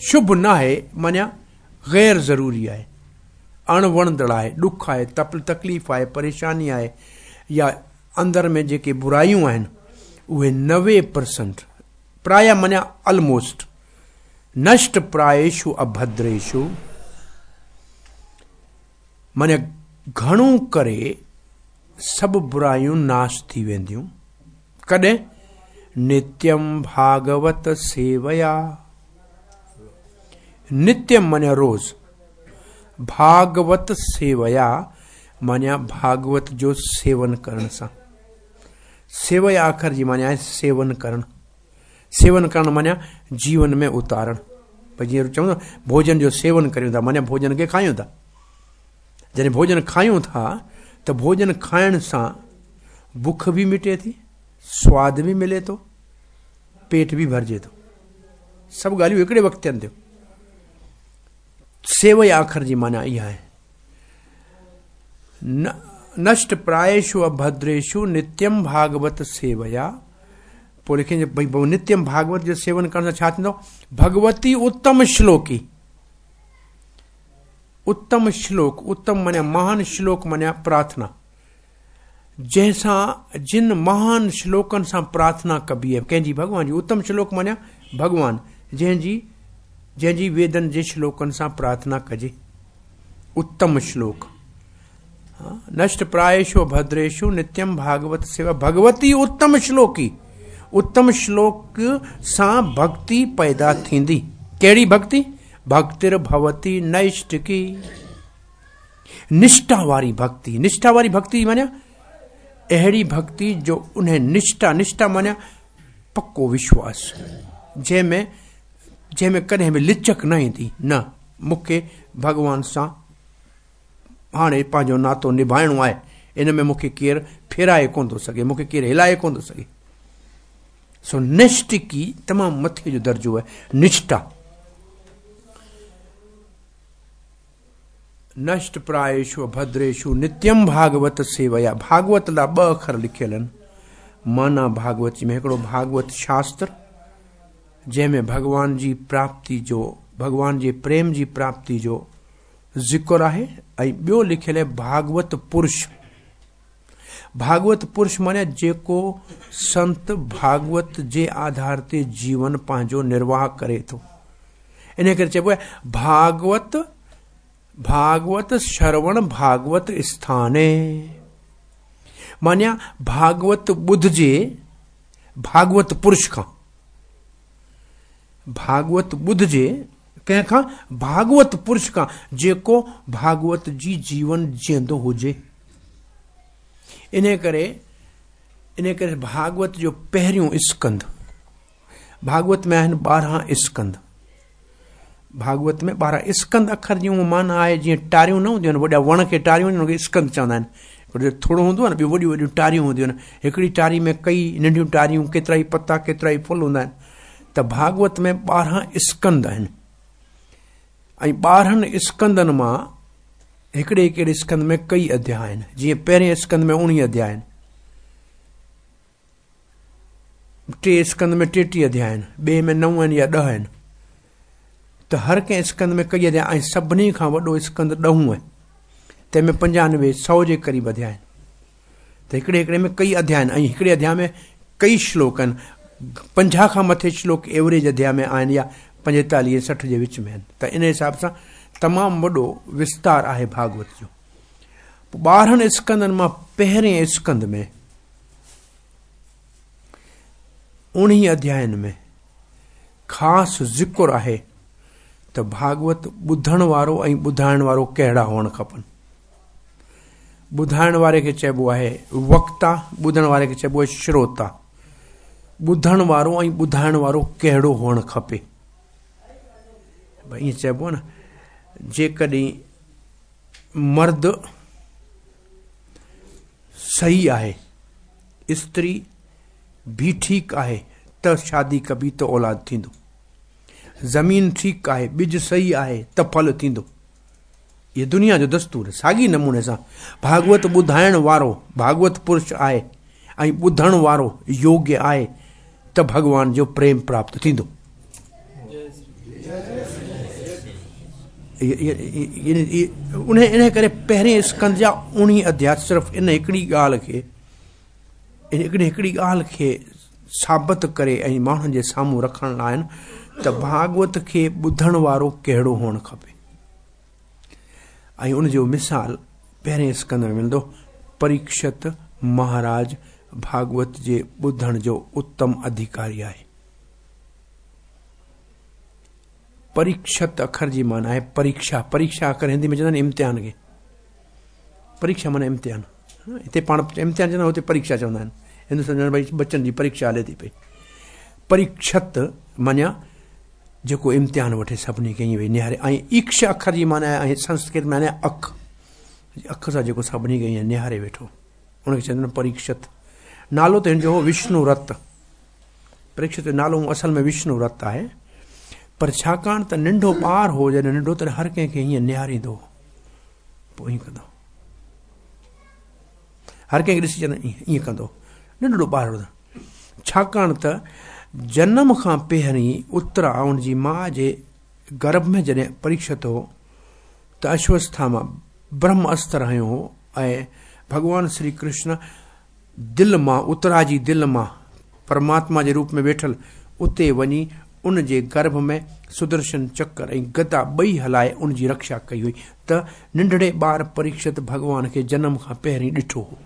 شڀ نه آهي معنيٰ غير ضروري آهي اڻ وڻندڙ آهي ڏک آهي تڪليف آهي پريشاني آهي يا اندر ۾ جيڪي برايون آهن اهي 90% پرايا معنيٰ الموسٽ نشٽ پرايشو اڀدريشو معنيٰ گهڻو ڪري سڀ برايون ناش ٿي وينديون. ڪڏهن؟ نتيم ڀاڳوت سيويا. نتيم معنيٰ روز، ڀاڳوت سيويا معنيٰ ڀاڳوت جو سيون ڪرڻ سان. سيويا اکر جي معنيٰ آهي سيون ڪرڻ. سيون ڪرڻ معنيٰ جيون ۾ اتارڻ. ڀئي جيئن چئون ٿا ڀوڄن جو سيون ڪريون ٿا معنيٰ ڀوڄن کي کايون ٿا. جڏهن ڀوڄن کايون ٿا ته ڀوڄن کائڻ سان بک به مٽي ٿي، سواد به ملي ٿو، پيٽ به ڀرجي ٿو. سڀ ڳالهيون هڪڙي وقت ٿين ٿيون. سيويا اکر جي معنيٰ اها آهي. نشٽ پرايشو اڀدريشو نتيم ڀاڳوت سيويا. پوء لکين ڀئي نتيم ڀاڳوت جو سيون ڪرڻ سان ڇا ٿيندو؟ ڀڳوتي اتم شلوڪي. اتم شلوڪ، اتم معنيٰ مهان، شلوڪ معنيٰ پرارٿنا، جنهن سان جن مهان شلوڪن سان پرارٿنا ڪبي آهي، ڪنهن جي؟ ڀڳوان جي. اتم شلوڪ معنيٰ ڀڳوان، جنهن جي ويدن جي شلوڪن سان پرارٿنا ڪجي، اتم شلوڪ. نشٽ پرايشو ڀدريشو نتيم ڀاڳوت سيوا ڀڳوتي اتم شلوڪي. اتم شلوڪ سان ڀڳتي پيدا ٿيندي. ڪهڙي ڀڳتي؟ ڀڳتر ڀوتي نيشٽڪي، نشٺا واري ڀڳتي. نشٺا واري ڀڳتي معنيٰ اهڙي ڀڳتي جو ان نشٺا، نشٺا معنيٰ پڪو وشواس، جنهن ۾ ڪڏهن به لچڪ نه ايندي، نه مونکي ڀڳوان سان هاڻي پنهنجو ناتو نڀائڻو آهي، ان ۾ مونکي ڪير ڦيرائي ڪونه ٿو سگهي، مونکي ڪير هلائي ڪونه ٿو سگهي. سو نشٽڪي تمام مٿي جو درجو آهي نشٺا. نشٽ پرايشو ڀدريشو نتيم ڀاڳوت سيويا. ڀاڳوت لاء ٻه اکر لکيل آهن معنيٰ ڀاڳوت جي ۾، هڪڙو ڀاڳوت شاستر جنهن ۾ ڀڳوان جي پراپتي جو، ڀڳوان جي پريم جي پراپتي جو ذڪر آهي، ۽ ٻيو لکيل آهي ڀاڳوت پرش. ڀاڳوت پرش معنيٰ جيڪو سنت ڀاڳوت جي آڌار تي جيون پنهنجو نرواهه ڪري ٿو. ان ڪري چئبو آهي ڀاڳوت، ڀاڳوت شروڻ ڀاڳوت اسٿاني، معنيٰ ڀاڳوت ٻڌجي ڀاڳوت پرش کان. ڀاڳوت ٻڌجي ڪنهن کان؟ ڀاڳوت پرش کان، جيڪو ڀاڳوت جي جيون جيئندو هجي. انهي ڪري ڀاڳوت جو پهريون اسڪنڌ، ڀاڳوت ۾ آهن 12 اسڪنڌ. ڀاڳوت ۾ 12 اسڪنڌ اکر جي هونء معنيٰ آهي جيئن ٽاريون نه هونديون آهن، وڏا وڻ کي ٽاريون هونديون آهن، ان کي اسڪنڌ چوندا آهن. هڪڙو ٿورو هوندو آهي نه، ٻيون وڏيون وڏيون ٽاريون هونديون آهن. هڪڙي ٽاري ۾ ڪئي ننڍيون ٽاريون، ڪيترا ئي پتا، ڪيترا ئي ڦل هوندا آهن. ته ڀاڳوت ۾ 12 اسڪنڌ آهن ۽ 12 اسڪنڌن مان هڪڙي هڪڙي اسڪنڌ ۾ ڪئي اڌيا آهن. جيئن پهرين اسڪنڌ ۾ 19 اڌيا آهن، ٽي اسڪنڌ ۾ 33 اڌيا آهن، ٻئي ۾ 9 آهن يا 10 آهن. ته هر ڪنهن اسڪنڌ ۾ ڪئي اڌيا ۽ سڀني کان وڏو اسڪنڌ ڏهون آهي، تنهن ۾ 95 100 جي قريب اڌيا آهن. ته هڪڙي هڪڙي ۾ ڪئي اڌيا آهن ۽ هڪڙي اڌيا ۾ ڪئي شلوڪ آهن. 50 کان مٿي شلوڪ ايوريج اڌيا ۾ آهن يا 45 60 جي وچ ۾ آهن. ته ان حساب سان تمام وڏو وستار آهي ڀاڳوت جو. 12 اسڪنڌن مان پهرين اسڪنڌ ۾ 19 اڌيائن ۾ خاص ذڪر آهي ته ڀاڳوت ٻڌڻ وارو ۽ ٻڌائڻ وارو ڪهڙا هئڻ کپن. ٻڌائڻ واري کي چئبو آهي وڪتا، ٻڌڻ واري کي چئبو آهي شروتا. ٻڌڻ وارو ۽ ٻڌائڻ وارو ڪهڙو هئڻ کپي؟ ڀئي ائين چئبو آهي نه، جيڪڏهن مرد صحيح آهي، استري به ٺيڪ آهي ته شادي ڪبي ته اولاد ٿيندو. زمين ٺيڪ آهي، ٻج صحيح آهي ته ڦل ٿيندو. هي دنيا جو دستور آهي. ساڳي نموني سان ڀاڳوت ٻڌائڻ وارو ڀاڳوت پرش آهي ۽ ٻڌڻ وارو يوگيه آهي ته ڀڳوان جو پريم پراپت ٿيندو. انهي ڪري پهرين اسڪنڌ جا 19 اڌيا صرف ان هڪڙي ڳالهه کي हिकिड़ी ॻाल्हि खे साबित करे ऐं माण्हुनि जे साम्हूं रखण लाइ आहिनि त भागवत खे ॿुधण वारो कहिड़ो हुअणु खपे। ऐं उनजो मिसाल पहिरें स्कंद में मिलंदो। परीक्षित महाराज भागवत जे ॿुधण जो उत्तम अधिकारी आहे। परीक्षित अखर जी माना आहे परीक्षा। परीक्षा अखर हिंदी में चवंदा आहिनि इम्तिहान खे। परीक्षा माना इम्तिहान। हिते पाण इम्तिहान चवंदा, हुते परीक्षा चवंदा आहिनि। हिंदुस्तान चवंदा भई बच्चनि जी परीक्षा हले थी पई। परीक्षित माना जेको इम्तिहान वठे सभिनी खे ईअं वेही निहारे। ऐं ईक्ष अखर जी माना आहे संस्कृत में अख, अख सां जेको सभिनी खे ईअं निहारे वेठो उनखे चवंदा आहिनि परीक्षित। नालो त हिन जो हो विष्णुरत। परीक्षित जो नालो असल में विष्णुरत आहे, पर छाकाणि त नंढो ॿार हो, जॾहिं नंढो तॾहिं हर कंहिंखे ईअं निहारींदो हो, पोइ ईअं कंदो, हर कंहिंखे ॾिसी चवंदो ईअं कंदो, नंढड़ो ॿार हो। छाकाणि त जनम खां पहिरीं उत्तरा उनजी माउ जे गर्भ में जॾहिं परीक्षित हो त अश्वस्था मां ब्रह्म अस्त्र हयो हो ऐं भॻवान श्री कृष्ण दिल मां, उत्तरा जी दिल मां परमात्मा जे रूप में वेठल उते वञी उन जे गर्भ में सुदर्शन चक्र ऐं गदा ॿई हलाए उन जी रक्षा कई हुई। त नंढड़े ॿार परीक्षित भॻवान खे जनम खां पहिरीं ॾिठो हो।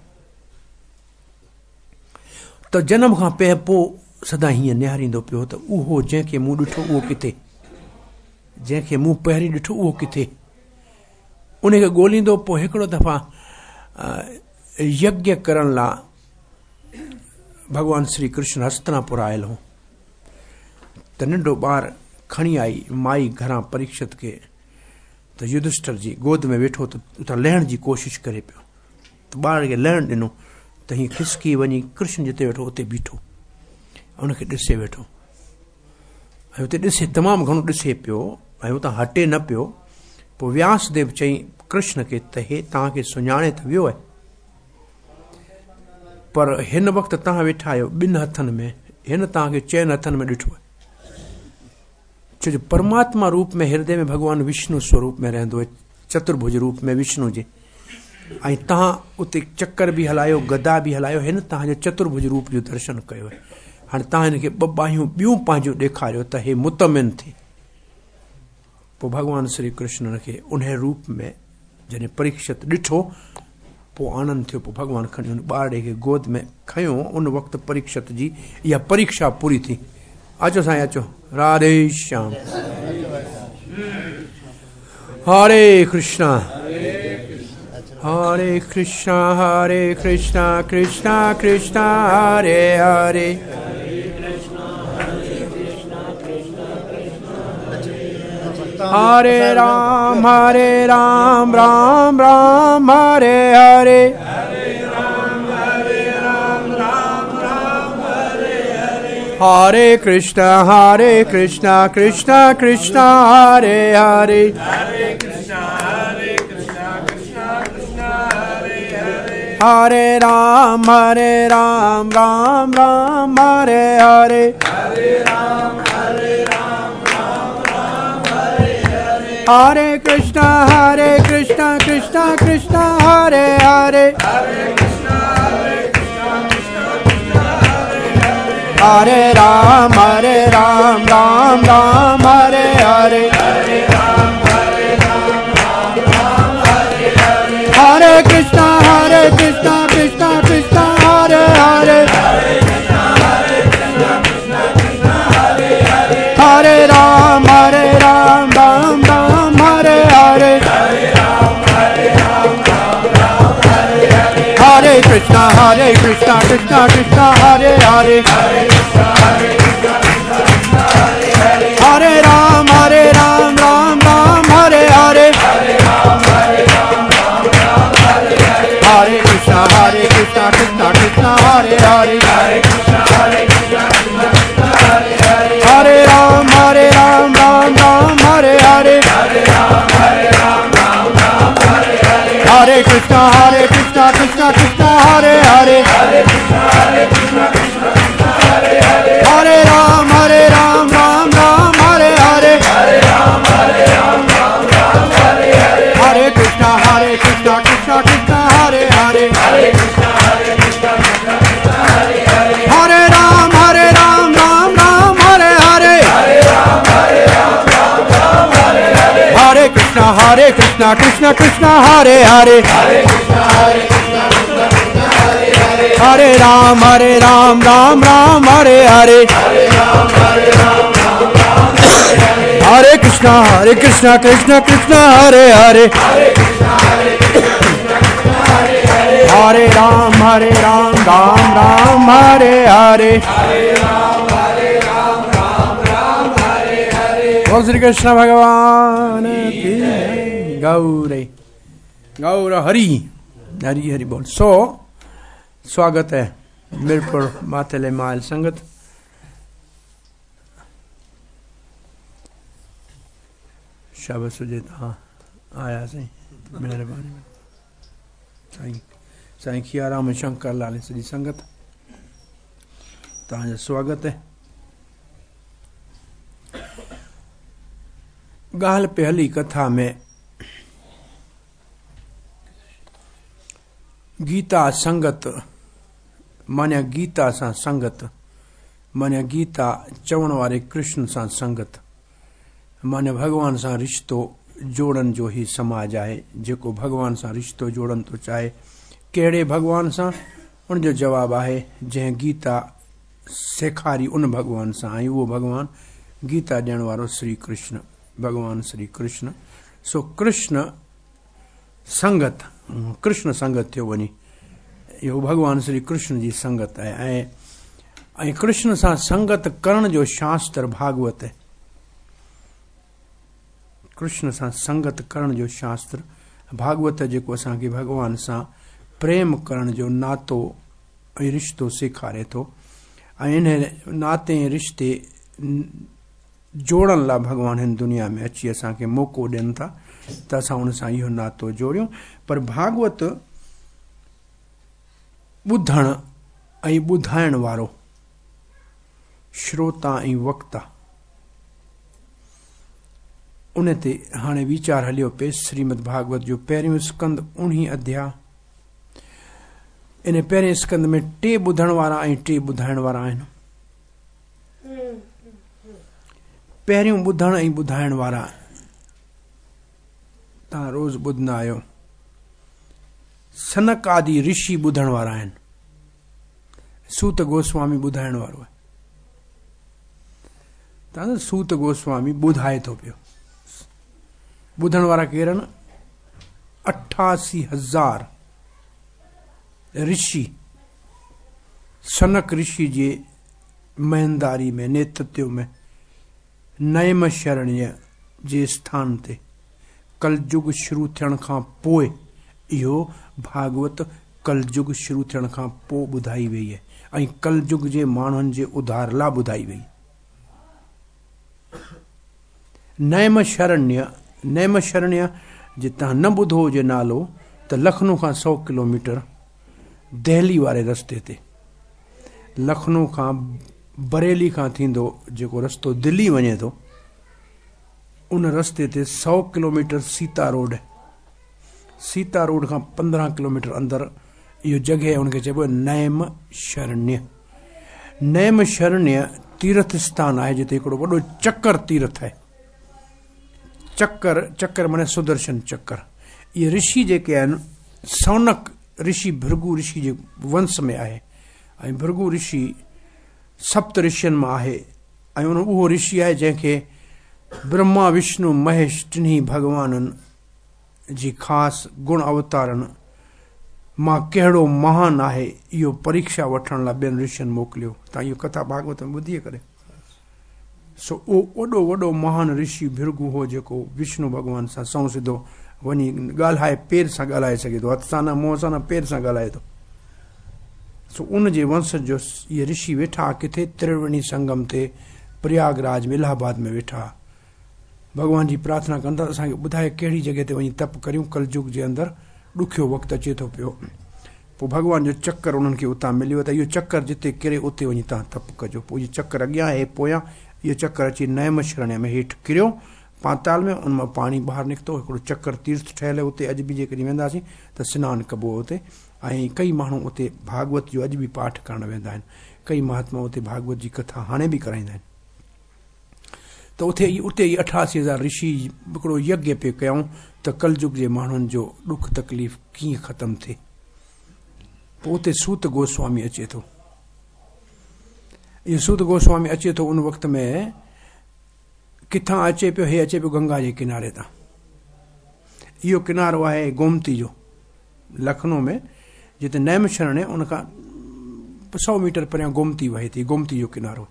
त जनम खां पोइ सदा हीअं निहारींदो पियो त उहो जंहिंखे मूं ॾिठो उहो किथे, जंहिंखे मूं पहिरीं ॾिठो उहो किथे, उनखे ॻोल्हींदो। पोइ हिकिड़ो दफ़ा यज्ञ करण लाइ भॻवान श्री कृष्ण हस्तनापुर आयल हो त नंढो ॿार खणी आई माई घरां परीक्षित खे त युधिष्ठिर जी गोद में वेठो त उतां लहण जी कोशिशि करे पियो त ॿार खे लहण ॾिनो त हीअं खिसकी वञी कृष्ण जिते वेठो उते बीठो, उनखे ॾिसे वेठो ऐं उते ॾिसे तमामु घणो ॾिसे पियो ऐं उतां हटे न पियो। पोइ व्यासदेव चई कृष्ण खे त हे तव्हांखे सुञाणे त वियो आहे, पर हिन वक़्तु तव्हां वेठा आहियो ॿिनि हथनि में, हिन तव्हांखे चइनि हथनि में ॾिठो आहे। छो जो परमात्मा रूप में हृदय में भॻवान विष्णु स्वरूप में रहंदो आहे, चतुर्भुज रूप में विष्णु जे, ऐं तव्हां उते चक्कर बि हलायो गदा बि हलायो, हिन तव्हांजो चतुर्भुज रूप जो दर्शन कयो आहे। हाणे तव्हां हिनखे ॿ बाहियूं ॿियूं पंहिंजूं ॾेखारियो त हे मुतमिन थिए। पोइ भॻवान श्री कृष्ण हुनखे उन रूप में जॾहिं परीक्षित ॾिठो पोइ आनंद थियो। पोइ भॻवान खणी हुन ॿारड़े खे गोद में खयो। उन वक़्तु परीक्षित जी इहा परीक्षा पूरी थी। अचो साईं अचो, Radhe Shyam, Hare Krishna Hare Krishna Hare Krishna Krishna Krishna Hare Hare. Hare Ram Ram Ram Hare Hare. Hare Krishna Krishna Krishna Hare Hare. Hare Ram Ram Ram Hare Hare. Hare Krishna Krishna Krishna Hare Hare. Hare Ram Ram Ram Hare Hare. Hare Krishna Krishna Krishna Hare Hare. Hare Ram Ram Ram Hare Hare. Hare Krishna Krishna Krishna Hare Hare. Hare Ram Ram Ram Hare Hare. Hare Krishna Krishna Krishna Hare Hare. Hare Ram Ram Ram Hare Hare. Hare Krishna Krishna Krishna Hare Hare. Hare Ram Ram Ram Hare Hare. Hare Krishna Krishna Krishna Hare Hare. Hare Krishna Krishna Krishna Hare Hare, Hare Krishna Hare Krishna Krishna Krishna Hare Hare, Hare Ram Hare Ram Ram Ram Hare Hare, Hare Ram Hare Ram Ram Ram Hare Hare, Hare Krishna Hare Krishna Krishna Krishna Hare Hare, Hare Krishna Hare Krishna Krishna Krishna Hare Hare, Hare Ram Hare Ram Ram Ram Hare Hare, Hare Ram Hare Ram Ram Ram Hare Hare. बोल श्री कृष्ण भगवान की जय। गौर गौर हरि हरि हरि बोल। सो स्वागत है मीरपुर माथेले माल संगत। शाबाश हुजे तव्हां आयासीं, महिरबानी। साईं साईं खियाराम शंकर लाल सॼी संगत तव्हांजो स्वागत है। ॻाल्हि पे हली कथा में गीता संगत माना गीता सां संगत, माना गीता चवण वारे कृष्ण सां संगत, माना भॻवान सां रिश्तो जोड़ण जो ही समाज आहे। जेको भॻवान सां रिश्तो जोड़ण थो चाहे, कहिड़े भॻवान सां, उनजो जवाबु आहे जंहिं गीता सेखारी उन भॻवान सां, ऐं उहो भॻवान गीता ॾियण वारो श्री कृष्ण, भॻवान श्री कृष्ण। सो कृष्ण संगत, कृष्ण संगत थियो वञे, इहो भॻवान श्री कृष्ण जी संगत आहे। ऐं कृष्ण सां संगत करण जो शास्त्र भागवत आहे। कृष्ण सां संगत करण जो शास्त्र भागवत, जेको असांखे भॻवान सां प्रेम करण जो नातो ऐं रिश्तो सेखारे थो। ऐं इन नाते ऐं रिश्ते जोड़ण लाइ भॻवान हिन दुनिया में अची असांखे मौक़ो ॾियनि था त असां उन सां इहो नातो जोड़ियूं। पर भागवत ॿुधण ऐं ॿुधाइण वारो श्रोता ऐं वक्ता, उन ते हाणे वीचार हलियो पे। श्रीमद् भागवत जो पहिरियों स्कंद 19 अध्याय, इन पहिरें स्कंद में टे ॿुधण वारा ऐं टे ॿुधाइण वारा आहिनि। पहिरियों ॿुधण ऐं ॿुधाइण वारा तव्हां रोज़ ॿुधंदा आहियो, सनक आदि ऋषि ॿुधण वारा आहिनि, सूत गोस्वामी ॿुधाइण वारो आहे। तव्हां सूत गोस्वामी ॿुधाए थो पियो। ॿुधण वारा केरु आहिनि? 88,000 ऋषि सनक ऋषि जे महेंदारी में, नेतृत्व में, नैम शरण्य जे स्थान ते कलयुग शुरू थियण खां पोइ इहो भागवत कलयुग शुरू थियण खां पोइ ॿुधाई वई आहे ऐं कलयुग जे माण्हुनि जे उधार लाइ ॿुधाई वई। नैम शरण्य, नैम शरण्य जे तव्हां न ॿुधो हुजे नालो त लखनऊ खां 100 किलोमीटर दिल्ली वारे रस्ते ते, लखनऊ खां बरेली खां थींदो जेको रस्तो दिल्ली वञे थो, उन रस्ते ते 100 किलोमीटर सीता रोड आहे। सीता रोड खां 15 किलोमीटर अंदरि इहो जॻह आहे, उनखे चइबो आहे नैम शरण्य। नैम शरण्य तीर्थ स्थान आहे जिते हिकिड़ो वॾो चक्कर तीर्थ आहे। चक्कर, चक्कर माने सुदर्शन चक्कर। इहे ऋषि जेके आहिनि, सौनक ऋषि भृगु ऋषि जे वंश में आहे ऐं भृगु ऋषि सप्त ऋषियुनि मां आहे ऐं उन उहो ऋषि आहे जंहिंखे ब्रह्मा विष्णु महेश टिन्ही भॻवाननि जी ख़ासि गुण अवतारनि मां कहिड़ो महान आहे इहो परीक्षा वठण लाइ ॿियनि ऋषियुनि मोकिलियो। तव्हां इहो कथा भागवत में ॿुधी करे। सो उहो वॾो वॾो महान ऋषि भृगु हो जेको विष्णु भॻवान सां सउं सिधो वञी ॻाल्हाए, पेर सां ॻाल्हाए सघे थो, हथ सां न, मुंहं सां न, पेर सां ॻाल्हाए थो। सो उन जे वंश जो इहे ऋषि वेठा किथे? त्रिवेणी संगम ते प्रयागराज में, इलाहाबाद में वेठा। भॻवान जी प्रार्थना कंदा असांखे ॿुधाए कहिड़ी जॻह ते वञी तप करियूं, कलयुग जे अंदरि ॾुखियो वक़्तु अचे थो पियो। पोइ भॻवान जो चक्कर उन्हनि खे उतां मिलियो त इहो चक्कर जिते किरे उते वञी तव्हां तप कजो। पोइ इहो चक्कर अॻियां आहे पोयां, इहो चक्कर अची नैम शरण्य में हेठि किरियो पाताल में, उन मां पाणी ॿाहिरि निकितो। हिकिड़ो चक्कर तीर्थ ठहियल आहे उते, अॼु बि जेकॾहिं वेंदासीं त सनानु कबो उते। ऐं कई माण्हू उते भागवत जो अॼु बि पाठ करण वेंदा आहिनि, कई महात्मा उते भागवत जी कथा हाणे बि कराईंदा आहिनि। ته اٿي اتي ئي 88,000 رشي هڪڙو يگيه پئي ڪيائون ته ڪلجگ جي ماڻهن جو ڏک تڪليف ڪيئن ختم ٿئي. پوء اتي سوت گوسوامي اچي ٿو. اهو سوت گوسوامي اچي ٿو ان وقت ۾ ڪٿان اچي پيو؟ هي اچي پيو گنگا جي ڪناري تان. اهو ڪنارو آهي گومتي جو، لکنو ۾ جتي نيم شرڻ ان کان 100 ميٽر پريان گومتي وهي ٿي، گومتي جو ڪنارو.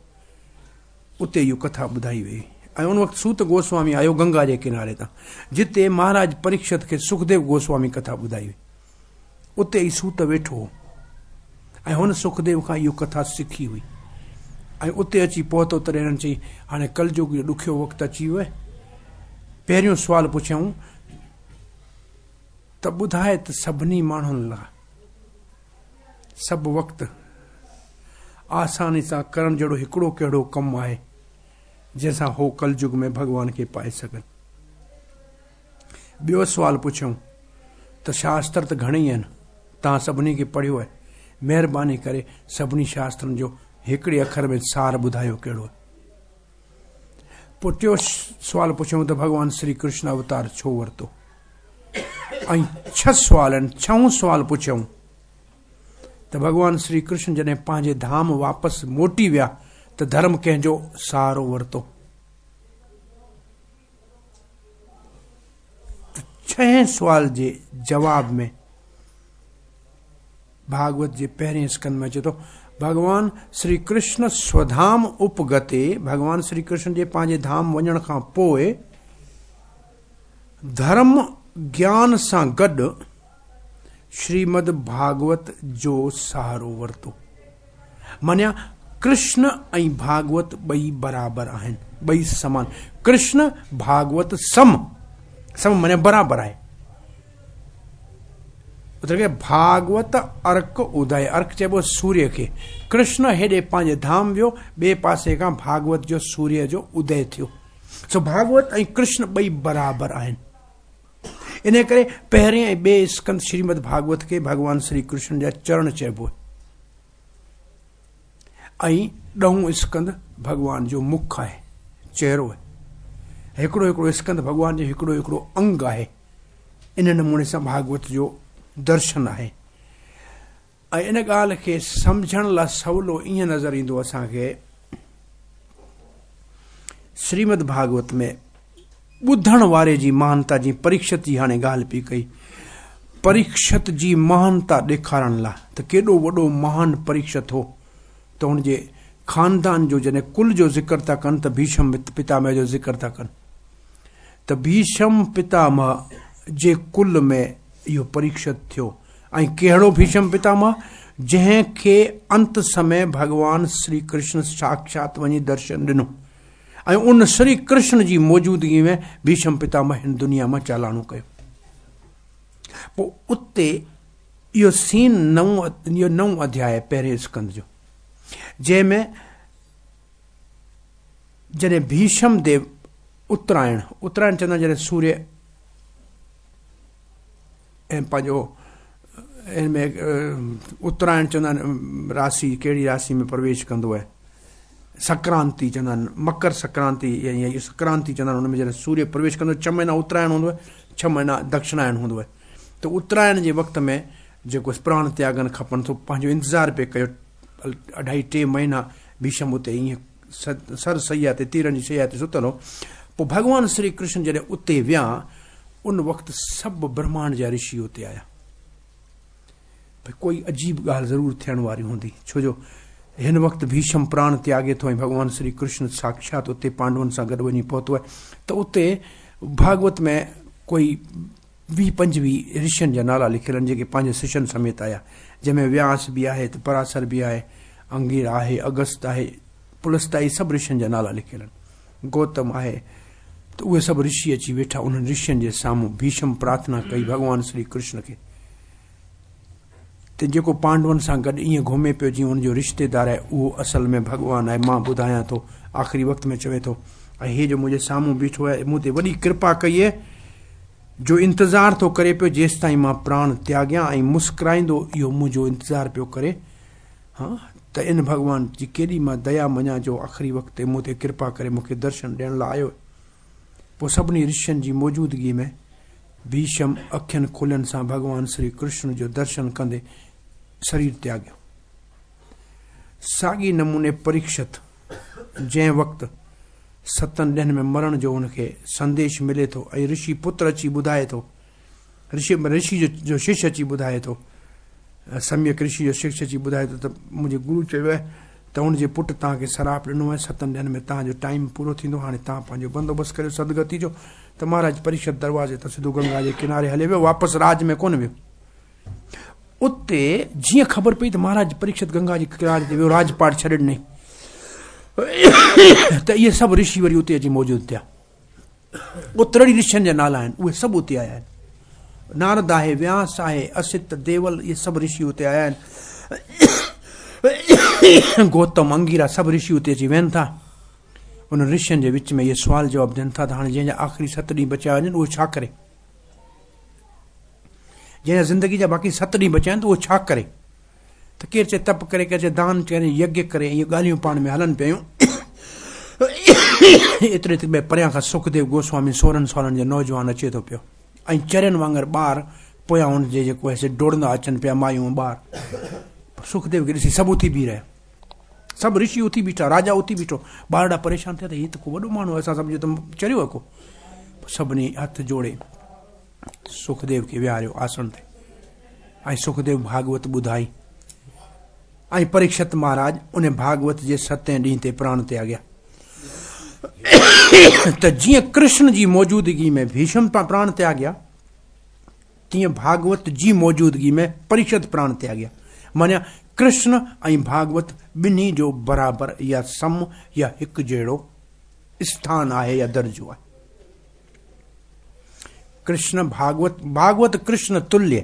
اتي اهو ڪٿا ٻڌائي وئي ۽ ان وقت سوت گوسوامي آيو گنگا جي ڪناري تان، جتي مهاراج پريڪشت کي سکديو گوسوامي ڪٿا ٻڌائي هئي. اتي ئي سوت ويٺو هو ۽ هن سکديو کان اهو ڪٿا سکي هئي ۽ اتي اچي پهتو. تڏهن هنن چئي، هاڻي ڪلجگ جو ڏکيو وقت اچي ويو آهي. پهريون سوال پڇيائون ته ٻڌاء ته سڀني ماڻهن لاء سڀ وقت آساني سان ڪرڻ جهڙو هڪڙو ڪهڙو ڪم آهي، جنهن سان هو ڪلجگ ۾ ڀڳوان کي پائي سگهن؟ ٻيو سوال پڇيائون ته شاستر ته گهڻيئي آهن، توهان سڀني کي پڙهيو آهي، مهرباني ڪري سڀني شاسترن جو هڪڙي اکر ۾ سار ٻڌايو ڪهڙو آهي؟ پوء ٽيو سوال پڇيائون ته ڀڳوان سري ڪرشن اوتار ڇو ورتو؟ ۽ ڇهه سوال آهن. ڇهون سوال پڇيائون ته ڀڳوان سري ڪرشن جڏهن پنهنجي ڌام واپس موٽي ويا ته ڌرم ڪنهن جو سهارو ورتو؟ ته ڇهين سوال جي جواب ۾ ڀاڳوت جي پهرين اسڪند ۾ اچي ٿو، ڀڳوان سري ڪرشن سوڌام اپگتي، ڀڳوان سري ڪرشن جي پنهنجي ڌام وڃڻ کان پوء ڌرم گيان سان گڏ شريمد ڀاڳوت جو سهارو ورتو. معنيٰ ڪرشن ۽ ڀاڳوت ٻئي برابر آهن، ٻئي سمان. ڪرشن ڀاڳوت سم، سم معنيٰ برابر آهي. ڀاڳوت ارڪ ادي، ارڪ چئبو سوريه کي. ڪرشن هيڏي پنهنجي ڌام ويو، ٻئي پاسي کان ڀاڳوت جو سوريه جو ادي ٿيو. سو ڀاڳوت ۽ ڪرشن ٻئي برابر آهن. انهيء ڪري پهرين ۽ ٻئي اسڪند شريمد ڀاڳوت کي ڀڳوان سري ڪرشن جا چرڻ چئبو آهي ۽ ڏهون اسڪند ڀڳوان جو مک آهي، چهرو آهي. هڪڙو هڪڙو اسڪند ڀڳوان جو هڪڙو هڪڙو انگ آهي. ان نموني سان ڀاڳوت جو درشن آهي ۽ ان ڳالهه کي سمجهڻ لاء سولو ائين نظر ايندو اسان کي شريمد ڀاڳوت ۾ ٻڌڻ واري جي مهانتا جي پريڪشت جي هاڻي ڳالهه پئي ڪئي، پريڪشت جي مهانتا ڏيکارڻ لاء ته ڪيڏو وڏو مهان پريڪشت هو ته هن جي خاندان جو جڏهن ڪل جو ذڪر ٿا ڪن ته ڀيشم پتامه جو ذڪر ٿا ڪن ته ڀيشم پتامه جي ڪل ۾ اهو پريڪشت ٿيو ۽ ڪهڙو ڀيشم پتامه جنهن کي انت سمي ڀڳوان شري ڪرشن ساکشات وڃي درشن ڏنو ۽ ان شري ڪرشن جي موجودگي ۾ ڀيشم پتامه هن دنيا مان چالاڻو ڪيو. پوء اتي اهو سين نئون اهو نئون اڌياء آهي پهرين اسڪند جو، جنهن ۾ جڏهن ڀيشم ديو اترائڻ، اترائڻ چوندا آهن جڏهن سوريه ۽ پنهنجو ان ۾ اترائڻ چوندا آهن راسي ڪهڙي راسي ۾ پرويش ڪندو آهي، سڪرانتي چوندا آهن، مڪر سڪرانتي يا سڪرانتي چوندا آهن، ان ۾ جڏهن سوريه پرويش ڪندو 6 مهينا اترائڻ هوندو آهي، 6 مهينا دڪشنائڻ هوندو آهي ته اترائڻ جي وقت ۾ جيڪو پراڻ تياڳڻ کپن سو پنهنجو انتظار پئي ڪيو اڍائي ٽي مهينا ڀيشم اتي ائين سر سيا تي تيرن جي سيا تي ستل هو. پوء ڀڳوان شري ڪرشن جڏهن اتي ويا ان وقت سڀ برهمانڊ جا رشي اتي آيا. ڀئي ڪوئي عجيب ڳالهه ضرور ٿيڻ واري هوندي، ڇو جو هن وقت ڀيشم پراڻ تياڳي ٿو ۽ ڀڳوان شري ڪرشن ساکشات اتي پانڊون سان گڏ وڃي پهتو آهي ته اتي ڀاڳوت ۾ ڪوئي 20 25 رشين جا نالا لکيل آهن جيڪي پنهنجي ششن سميت آيا، جنهن ۾ وياس به آهي ته پراسر به آهي، انگير آهي، اگست آهي، پلست آهي، سڀ رشين جا نالا لکيل آهن، گوتم آهي ته اهي سڀ رشي اچي ويٺا. انهن رشين جي سامهون ڀيشم پرارٿنا ڪئي ڀڳوان شري ڪرشن کي ته جيڪو پانڊون سان گڏ ائين گهمي پيو جيئن ان جو رشتيدار آهي اهو اصل ۾ ڀڳوان آهي، مان ٻڌايان ٿو. آخري وقت ۾ چوي ٿو ۽ هي جو منهنجي سامهون بيٺو آهي مون تي وڏي ڪرپا ڪئي آهي جو انتظار ٿو ڪري پيو جيستائين مان پراڻ تياڳيان ۽ مسڪرائيندو اهو منهنجو انتظار پيو ڪري. ها ته ته ان ڀڳوان جي ڪيڏي مان ديا مڃان جو آخري وقت تي مون تي ڪرپا ڪري مون کي درشن ڏيڻ لاء آيو. پوء سڀني رشين جي موجودگي ۾ ڀيشم اکين کلين سان ڀڳوان سري ڪرشن جو درشن ڪندي سرير تياڳيو. ساڳي نموني پريڪشت جنهن وقت ستن ڏينهن ۾ مرڻ جو هن کي سنديش ملي ٿو ۽ رشي پتر اچي ٻڌائي ٿو، رشي رشي جو شش اچي ٻڌائي ٿو، سميڪ رشي جو شش اچي ٻڌائي ٿو ته منهنجي گرو چيو آهي ته هن جي پٽ توهان کي سراپ ڏنو آهي، ستن ڏينهن ۾ توهان جو ٽائيم پورو ٿيندو، هاڻي توهان پنهنجو بندوبست ڪريو سدگتي جو. ته مهاراج پريڪشت دروازي تان سڌو گنگا جي ڪناري هلي ويو، واپس راج ۾ ڪونه ويو. اتي جيئن خبر پئي ته مهاراج پريڪشت گنگا جي ڪناري تي ويو، راج پاٽ ڇڏي ڏنائين ته اهي سڀ رشي وري اتي اچي موجود ٿيا. اترڙي رشين جا نالا آهن، اهي سڀ اتي آيا آهن. نارد آهي، وياس آهي، است، ديول، اهي سڀ رشي اتي آيا آهن. گوتم، انگيرا سڀ رشي اتي اچي ويهن ٿا. انهن رشين جي وچ ۾ اهي سوال جواب ٿين ٿا ته هاڻي جنهن جا آخري ست ڏينهن بچيا هجن اهو ڇا ڪري؟ جنهن جا زندگي جا باقي ست ڏينهن بچيا آهن ته اهو ڇا ڪري؟ ته ڪير چئي تپ ڪري، ڪير چئي دان ڪري، يگيه ڪري، اهي ڳالهيون پاڻ ۾ هلن پيون. ايتري ته پريان کان سکديو گوسوامي 16 سالن جو نوجوان اچي ٿو پيو ۽ چرين وانگر ٻار پويان هن جي جيڪو آهي سي ڊوڙندا اچن پيا، مايون ٻار. سکديو کي ڏسي سڀ اٿي بيهي رهيا، سڀ رشي اٿي بيٺا، راجا اٿي بيٺو. ٻارڙا پريشان ٿيا ته هي ته ڪو وڏو ماڻهو آهي، اسان سمجهيو ته چريو آهي ڪو. سڀني هٿ جوڙي سکديو کي ويهاريو آسڻ تي ۽ سکديو ڀاڳوت ٻڌائي ۽ پريڪشت مهاراج ان ڀاڳوت جي ستين ڏينهن تي پراڻ تياڳيا. ته جيئن ڪرشن جي موجودگي ۾ ڀيشم پراڻ تياڳيا، تيئن ڀاڳوت جي موجودگي ۾ پريڪشت پراڻ تياڳيا. معنيٰ ڪرشن ۽ ڀاڳوت ٻنهي جو برابر يا سم يا هڪ جهڙو اسٿان آهي يا درجو آهي. ڪرشن ڀاڳوت، ڀاڳوت ڪرشن تليه،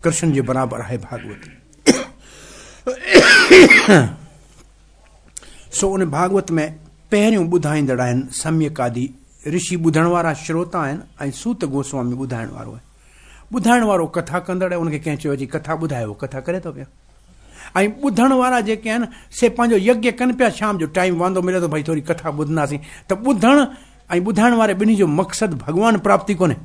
ڪرشن جي برابر آهي ڀاڳوت. سو ان ڀاڳوت ۾ پهريون ٻڌائيندڙ آهن سميڪ آدي رشي ٻڌڻ وارا شروتا آهن ۽ سوت گوسوامي ٻڌائڻ وارو آهي. ٻڌائڻ وارو ڪٿا ڪندڙ آهي، ان کي ڪنهن چيو اچي ڪٿا ٻڌايو، ڪٿا ڪري ٿو پيو. ۽ ٻڌڻ وارا جيڪي آهن سي پنهنجو يگيه ڪن پيا، شام جو ٽائيم واندو ملي ٿو ڀئي ٿوري ڪٿا ٻڌنداسين. ته ٻڌڻ ۽ ٻڌائڻ واري ٻنهي جو مقصد ڀڳوان پراپتي ڪونهي.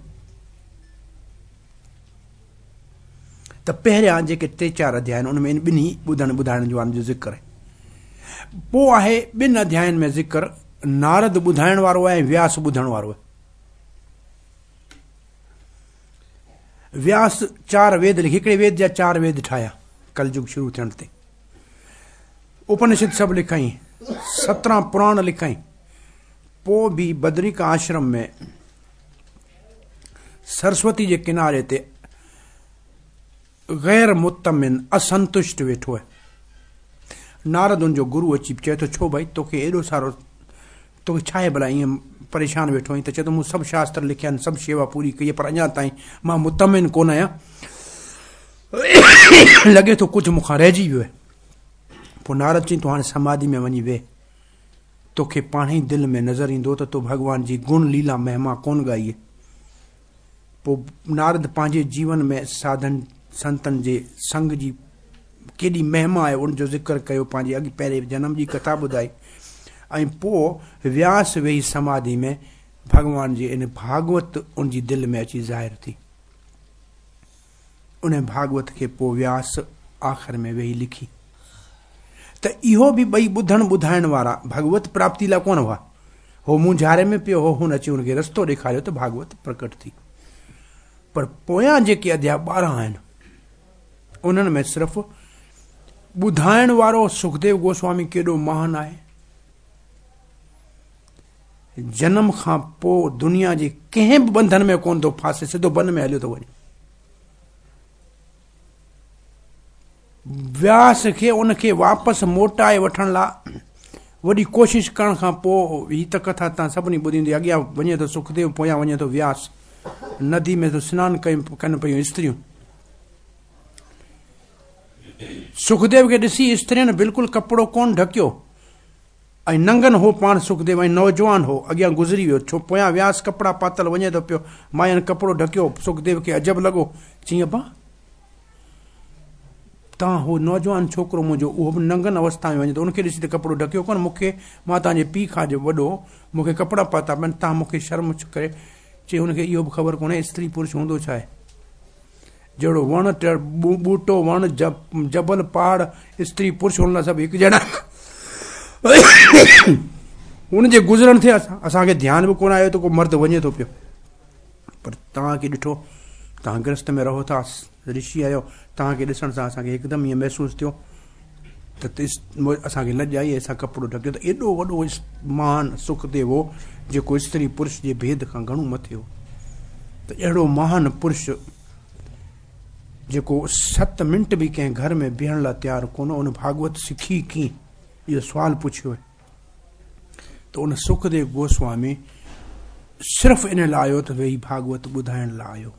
ته پهريان جيڪي ٽي چار اڌياء آهن ان ۾ ان ٻنهي ٻڌڻ ٻڌائڻ جو جو ذڪر آهي. پوء آهي ٻن اڌيائن ۾ ذڪر نارد ٻڌائڻ وارو آهي ۽ وياس ٻڌڻ وارو آهي. وياس چار ويد لکي، هڪڙي ويد جا چار ويد ٺاهيا ڪلجگ شروع ٿيڻ تي. اپنشد سڀ لکائين، 17 پراڻ لکائين. پوء به بدريڪا آشرم ۾ سرسوتي جي ڪناري تي غير مطمئن، اسنتشٽ ويٺو آهي. نارد ان جو گرو اچي چئي ٿو، ڇو ڀائي توکي ايڏو سارو، توکي ڇا آهي ڀلا ائين پريشان ويٺو آهين؟ ته چئي ٿو مون سڀ شاستر لکيا آهن، سڀ شيوا پوري ڪئي آهي، پر اڃا تائين مان مطمئن ڪونه آهيان، لڳي ٿو ڪجهه مون کان رهجي ويو آهي. پوء نارد چئي ٿو هاڻي سماڌي ۾ وڃي ويهه، توکي پاڻهي دل ۾ نظر ايندو ته تو ڀڳوان جي گڻ ليلا مهما ڪونه ڳائي آهي. پوء نارد پنهنجي جيون ۾ ساڌن سنتن جي سنگ جي ڪيڏي مهما آهي ان جو ذڪر ڪيو، پنهنجي اڳ پهرين جنم جي ڪٿا ٻڌائي ۽ پوء وياس ويهي سماڌي ۾ ڀڳوان جي ان ڀاڳوت ان جي دل ۾ اچي ظاهر ٿي. ان ڀاڳوت کي پوء وياس آخر ۾ ويهي لکي. ته اهو به ٻئي ٻڌڻ ٻڌائڻ وارا ڀڳوت پراپتي لاء ڪونه هئا. هو مونجهاري ۾ پيو هو، هن اچي هن کي رستو ڏيکاريو ته ڀاڳوت پرڪٽ ٿي. پر پويان جيڪي اڌيا 12 آهن، انهن ۾ صرف ٻڌائڻ وارو سکديو گوسوامي ڪيڏو مهان آهي، جنم کان پوء دنيا جي ڪنهن به ٻنڌن ۾ ڪونه ٿو ڦاسي، سڌو بن ۾ هليو ٿو وڃي. وياس کي ان کي واپس موٽائي وٺڻ لاء وڏي ڪوشش ڪرڻ کان پوء، هي ته ڪٿا تان سڀني ٻڌي هوندي، اڳيان وڃي ٿو سکديو، پويان وڃي ٿو وياس. ندي ۾ ٿو سنان ڪن پيون استريون. سکديو کي ڏسي استرين بلڪل ڪپڙو ڪونه ڍڪيو ۽ ننگن هو پاڻ سکديو ۽ نوجوان هو، اڳيان گذري ويو، ڇو پويان وياس ڪپڙا پاتل وڃي ٿو پيو. ماين ڪپڙو ڍڪيو، سکديو کي عجب لڳو، چيائين ابا توهان هو نوجوان ڇوڪرو منهنجو اهو به ننگن اوسٿا ۾ وڃي ٿو ان کي ڏسي ته ڪپڙو ڍڪيو ڪونه مون کي مان توهان جي پيء کان جو وڏو مون کي ڪپڙا پاتا پيا آهن توهان مون کي شرم ڪري چي هن کي اهو به خبر ڪونهي استري پرش هوندو ڇا آهي جهڙو وڻ ٻوٽو وڻ جبل پهاڙ استري پرش هن لاء سڀ هڪ جهڙا ان جي گذرڻ تي اسان کي ڌيان به ڪونه آيو ته ڪو مرد وڃي ٿو پيو پر توهان کي ڏٺو توهان گرهست ۾ رهو ٿا رشي آهيو توهان کي ڏسڻ سان اسان کي هڪدم ائين محسوس ٿيو ته اسان کي لڄ آئي اسان ڪپڙو ڍڪيو ته ايڏو وڏو مهان سکديو هو جيڪو استري پرش جي ڀيد کان گهڻو مٿي هو ته اهڙو مهان پرش جيڪو 7 منٽ به ڪنهن گهر ۾ بيهڻ لاء تيار ڪونه ان ڀاڳوت سکي ڪيئن اهو سوال پڇيو ته ان سکديو گوسوامي صرف ان لاء آيو ته ويهي ڀاڳوت ٻڌائڻ لاء آيو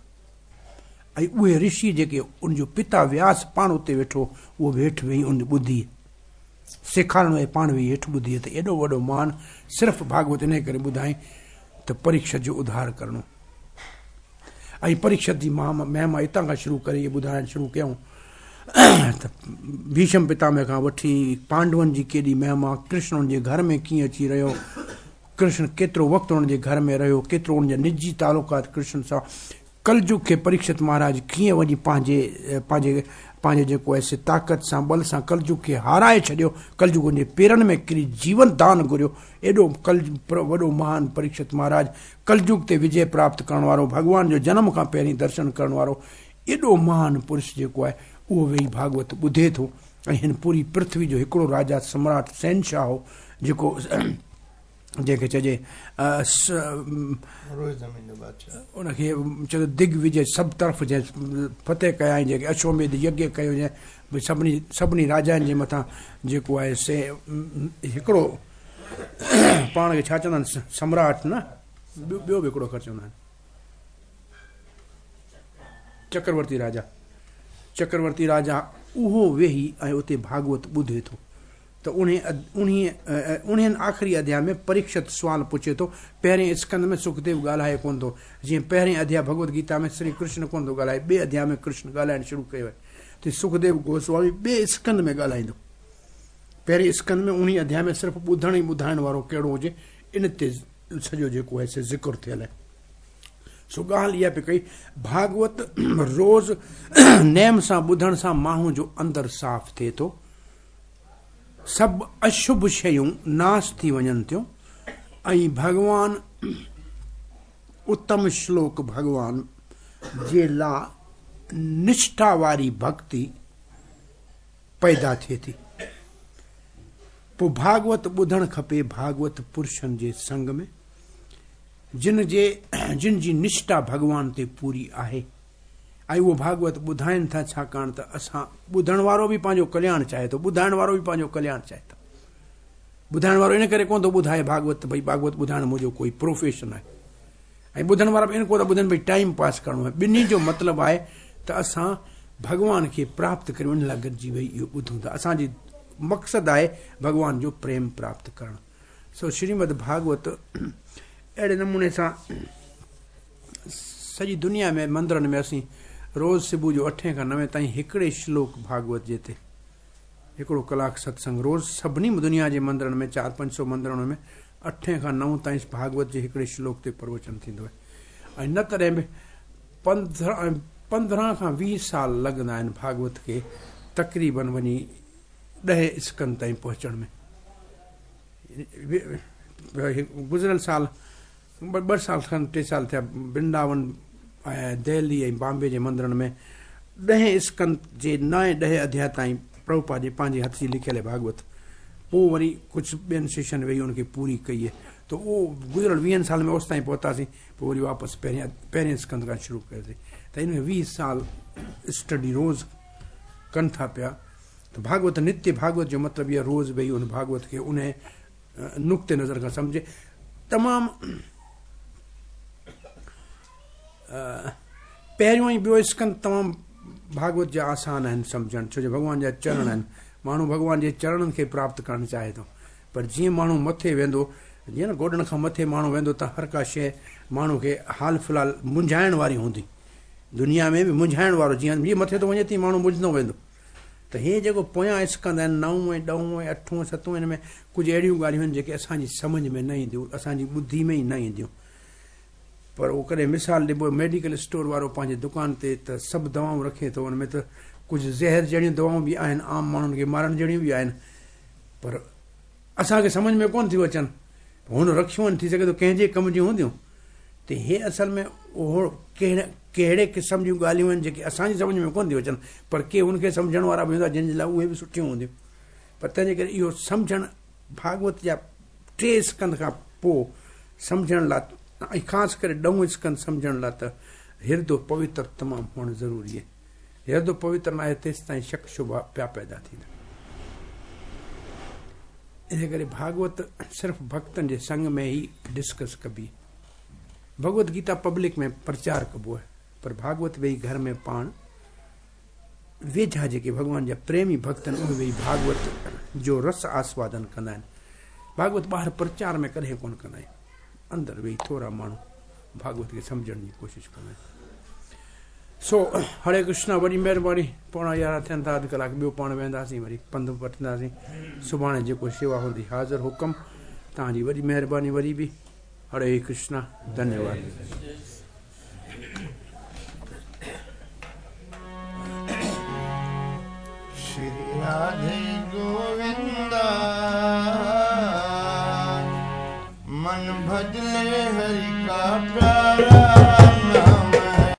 ۽ اهي رشي جيڪي ان جو پتا وياس پاڻ اتي ويٺو اهو به هيٺ ويهي ان ٻڌي سيکارڻ ۽ پاڻ ويهي هيٺ ٻڌي ته ايڏو وڏو مان صرف ڀاڳوت انهي ڪري ٻڌائين ته پريڪشت جو اڌار ڪرڻو ۽ پريڪشت جي مهما اتان کان شروع ڪري اهي ٻڌائڻ شروع ڪيائون ته ڀيشم پتامه کان وٺي پانڊون جي ڪيڏي مهما ڪرشن ان جي گهر ۾ ڪيئن اچي رهيو ڪرشن ڪيترو وقت ان جي گهر ۾ رهيو ڪيترو ان جا نجي تعلقات ڪرشن سان ڪلجگ کي پريڪشت مهاراج ڪيئن وڃي پنهنجي پنهنجي پنهنجي جيڪو آهي سي طاقت سان ٻل سان ڪلجگ کي هارائي ڇڏيو ڪلجگ ان جي پيرن ۾ ڪري جيون دان گهريو ايڏو ڪل وڏو مهان پريڪشت مهاراج ڪلجگ تي وجي پراپت ڪرڻ وارو ڀڳوان جو جنم کان پهرين درشن ڪرڻ وارو ايڏو مهان پرش جيڪو آهي اهو ويهي ڀاڳوت ٻڌي ٿو ۽ هن پوري پرٿوي جو هڪڙو راجا سمراٽ شهنشاهه هو جيڪو جنهن کي چئجي ان کي چئجي دگ وجي سڀ طرف جنهن فتح ڪيائين جيڪي اشوميڌ يگيه ڪيو جنهن ڀئي سڀني سڀني راجائن جي مٿان جيڪو آهي سي هڪڙو پاڻ کي ڇا چوندا آهن سمراٽ نه ٻيو به هڪڙو اکر چوندا آهن چڪرورتي راجا چڪرورتي راجا اهو ويهي ۽ اتي ڀاڳوت ٻڌي ٿو ته انهيء آخري اڌياء ۾ پريڪشت سوال پڇي ٿو. پهرئين اسڪنڌ ۾ سکديو ڳالهائي ڪونه ٿو. جيئن پهرئين اڌياء ڀڳوت گيتا ۾ سري ڪرشن ڪونه ٿو ڳالهائي، ٻئي اڌياء ۾ ڪرشن ڳالهائڻ شروع ڪيو آهي ته سکديو گوسوامي ٻئي اسڪنڌ ۾ ڳالهائيندو. پهرئين اسڪنڌ ۾ انهيء اڌياء ۾ صرف ٻڌڻ ۽ ٻڌائڻ وارو ڪهڙو هجي، ان تي سڄو جيڪو آهي سي ذڪر ٿيل آهي. سو ڳالهه اها پئي ڪئي، ڀاڳوت روز نيم سان ٻڌڻ سان ماڻهو جو اندر صاف ٿئي ٿو. سڀ اشڀ شيون ناس ٿي وڃن ٿيون ۽ ڀڳوان اتم شلوڪ ڀڳوان جي لا نشٺا واري ڀڳتي پيدا ٿئي ٿي. پوء ڀاڳوت ٻڌڻ کپي ڀاڳوت پرشن جي سنگ ۾ جن جي جن جي نشٺا ڀڳوان تي پوري آهي. ۽ اهو ڀاڳوت ٻڌائين ٿا ڇاڪاڻ ته اسان ٻڌڻ وارو به پنهنجو ڪلياڻ چاهي ٿو ٻڌائڻ وارو به پنهنجو ڪلياڻ چاهي ٿو ٻڌائڻ وارو ان ڪري ڪونه ٿو ٻڌائي ڀاڳوت ته ڀئي ڀاڳوت ٻڌائڻ منهنجو ڪوئي پروفيشن آهي ۽ ٻڌڻ وارا به ان ڪو ٿا ٻڌن ڀئي ٽائيم پاس ڪرڻو آهي ٻنهي جو مطلب آهي ته اسان ڀڳوان کي پراپت ڪريون ان لاء گڏجي ويهي اهو ٻڌون ٿا اسان جي مقصد آهي ڀڳوان جو پريم پراپت ڪرڻ سو شريمد ڀاڳوت اهڙي نموني سان سڄي دنيا ۾ مندرن ۾ اسين روز صبح جو اٺين کان نوين تائين هڪڙي شلوڪ ڀاڳوت جي تي هڪڙو ڪلاڪ ستسنگ روز سڀني دنيا جي مندرن ۾ چار پنج سو مندرن ۾ اٺين کان نو تائين ڀاڳوت جي هڪڙي شلوڪ تي پروچن ٿيندو آهي ۽ نه تڏهن به 15 کان 20 سال لڳندا آهن ڀاڳوت کي تقريبن وڃي ڏهين اسڪن تائين پهچڻ ۾ گذريل سال ٻه سال کن ٽي سال ٿيا برنداون ۽ دهلي ۽ بامبي جي مندرن ۾ ڏهين اسڪند جي نائين ڏهين اڌياء تائين پرڀوپاد جي پنهنجي هٿ جي لکيل ڀاڳوت پوء وري ڪجهه ٻين ششين ويهي ان کي پوري ڪئي ته اهو گذريل ويهن سالن ۾ اوستائين پهتاسين پوء وري واپس پهرين اسڪند کان شروع ڪيوسين ته ان ۾ 20 سال اسٽڊي روز ڪن ٿا پيا ته ڀاڳوت نتي ڀاڳوت جو مطلب اهو روز ويهي ان ڀاڳوت کي ان نقطي نظر کان سمجهي تمام پهريون ۽ ٻيو اسڪند تمام ڀاڳوت جا آسان آهن سمجهڻ ڇو جو ڀڳوان جا چرڻ آهن ماڻهو ڀڳوان جي چرڻن کي پراپت ڪرڻ چاهي ٿو پر جيئن ماڻهو مٿي ويندو جيئن نه گوڏن کان مٿي ماڻهو ويندو ته هر ڪا شيء ماڻهو کي حال في الحال منجهائڻ واري هوندي دنيا ۾ به منجهائڻ وارو جيئن جيئن مٿي ٿو وڃي تيئن ماڻهو منجهندو ويندو. त हे जेको पोयां स्कंद आहिनि 9 ऐं 10 ऐं 8 7 हिन में कुझु अहिड़ियूं ॻाल्हियूं आहिनि जेके असांजी सम्झ में न ईंदियूं, असांजी ॿुद्धि में ई न ईंदियूं। पर उहो कॾहिं मिसाल ॾिबो, मेडिकल स्टोर वारो पंहिंजे दुकान ते त सभु दवाऊं रखे थो, हुन में त कुझु ज़हर जहिड़ियूं दवाऊं बि आहिनि, आम माण्हुनि खे मारण जहिड़ियूं बि आहिनि, पर असांखे सम्झ में कोन थियूं अचनि। हुन रखियूं आहिनि, थी सघे थो कंहिंजे कम जूं हूंदियूं। त हे असल में उहो कहिड़े क़िस्म जूं ॻाल्हियूं आहिनि जेके असांजी सम्झ में कोन थियूं अचनि, पर के उनखे सम्झण वारा बि हूंदा जिन जे लाइ उहे बि सुठियूं हूंदियूं। पर तंहिंजे करे इहो सम्झणु भागवत जा 3 स्कंद खां पोइ सम्झण लाइ ऐं ख़ासि करे 9 स्कंद सम्झण लाइ त हिरदो पवित्र तमामु हुअणु ज़रूरी आहे। हिरदो पवित्र न आहे तेसि ताईं शक शुबा पिया पैदा थींदा। इन करे भागवत सिर्फ़ भक्तनि जे संग में ई डिस्कस कबी। भगवत गीता पब्लिक में प्रचार कबो आहे, पर भागवत वेही घर में पाण वेझा जेके भॻवान जा प्रेमी भक्त आहिनि उहे वेही भागवत जो रस आस्वादन कंदा आहिनि। भागवत ॿाहिरि प्रचार में कॾहिं कोन कंदा आहिनि, अंदरि वेही थोरा माण्हू भागवत खे सम्झण जी कोशिशि कंदा आहिनि। सो हरे कृष्णा, वॾी महिरबानी। 10:45 थियनि था, अधु कलाकु ॿियो पाण वेंदासीं, वरी पंधु वठंदासीं। सुभाणे जेको शेवा हूंदी हाज़िर हुकम। तव्हांजी वॾी महिरबानी वरी बि। हरे कृष्णा, धन्यवाद। श्री राधे गोविंदा, मन भजले हरि का।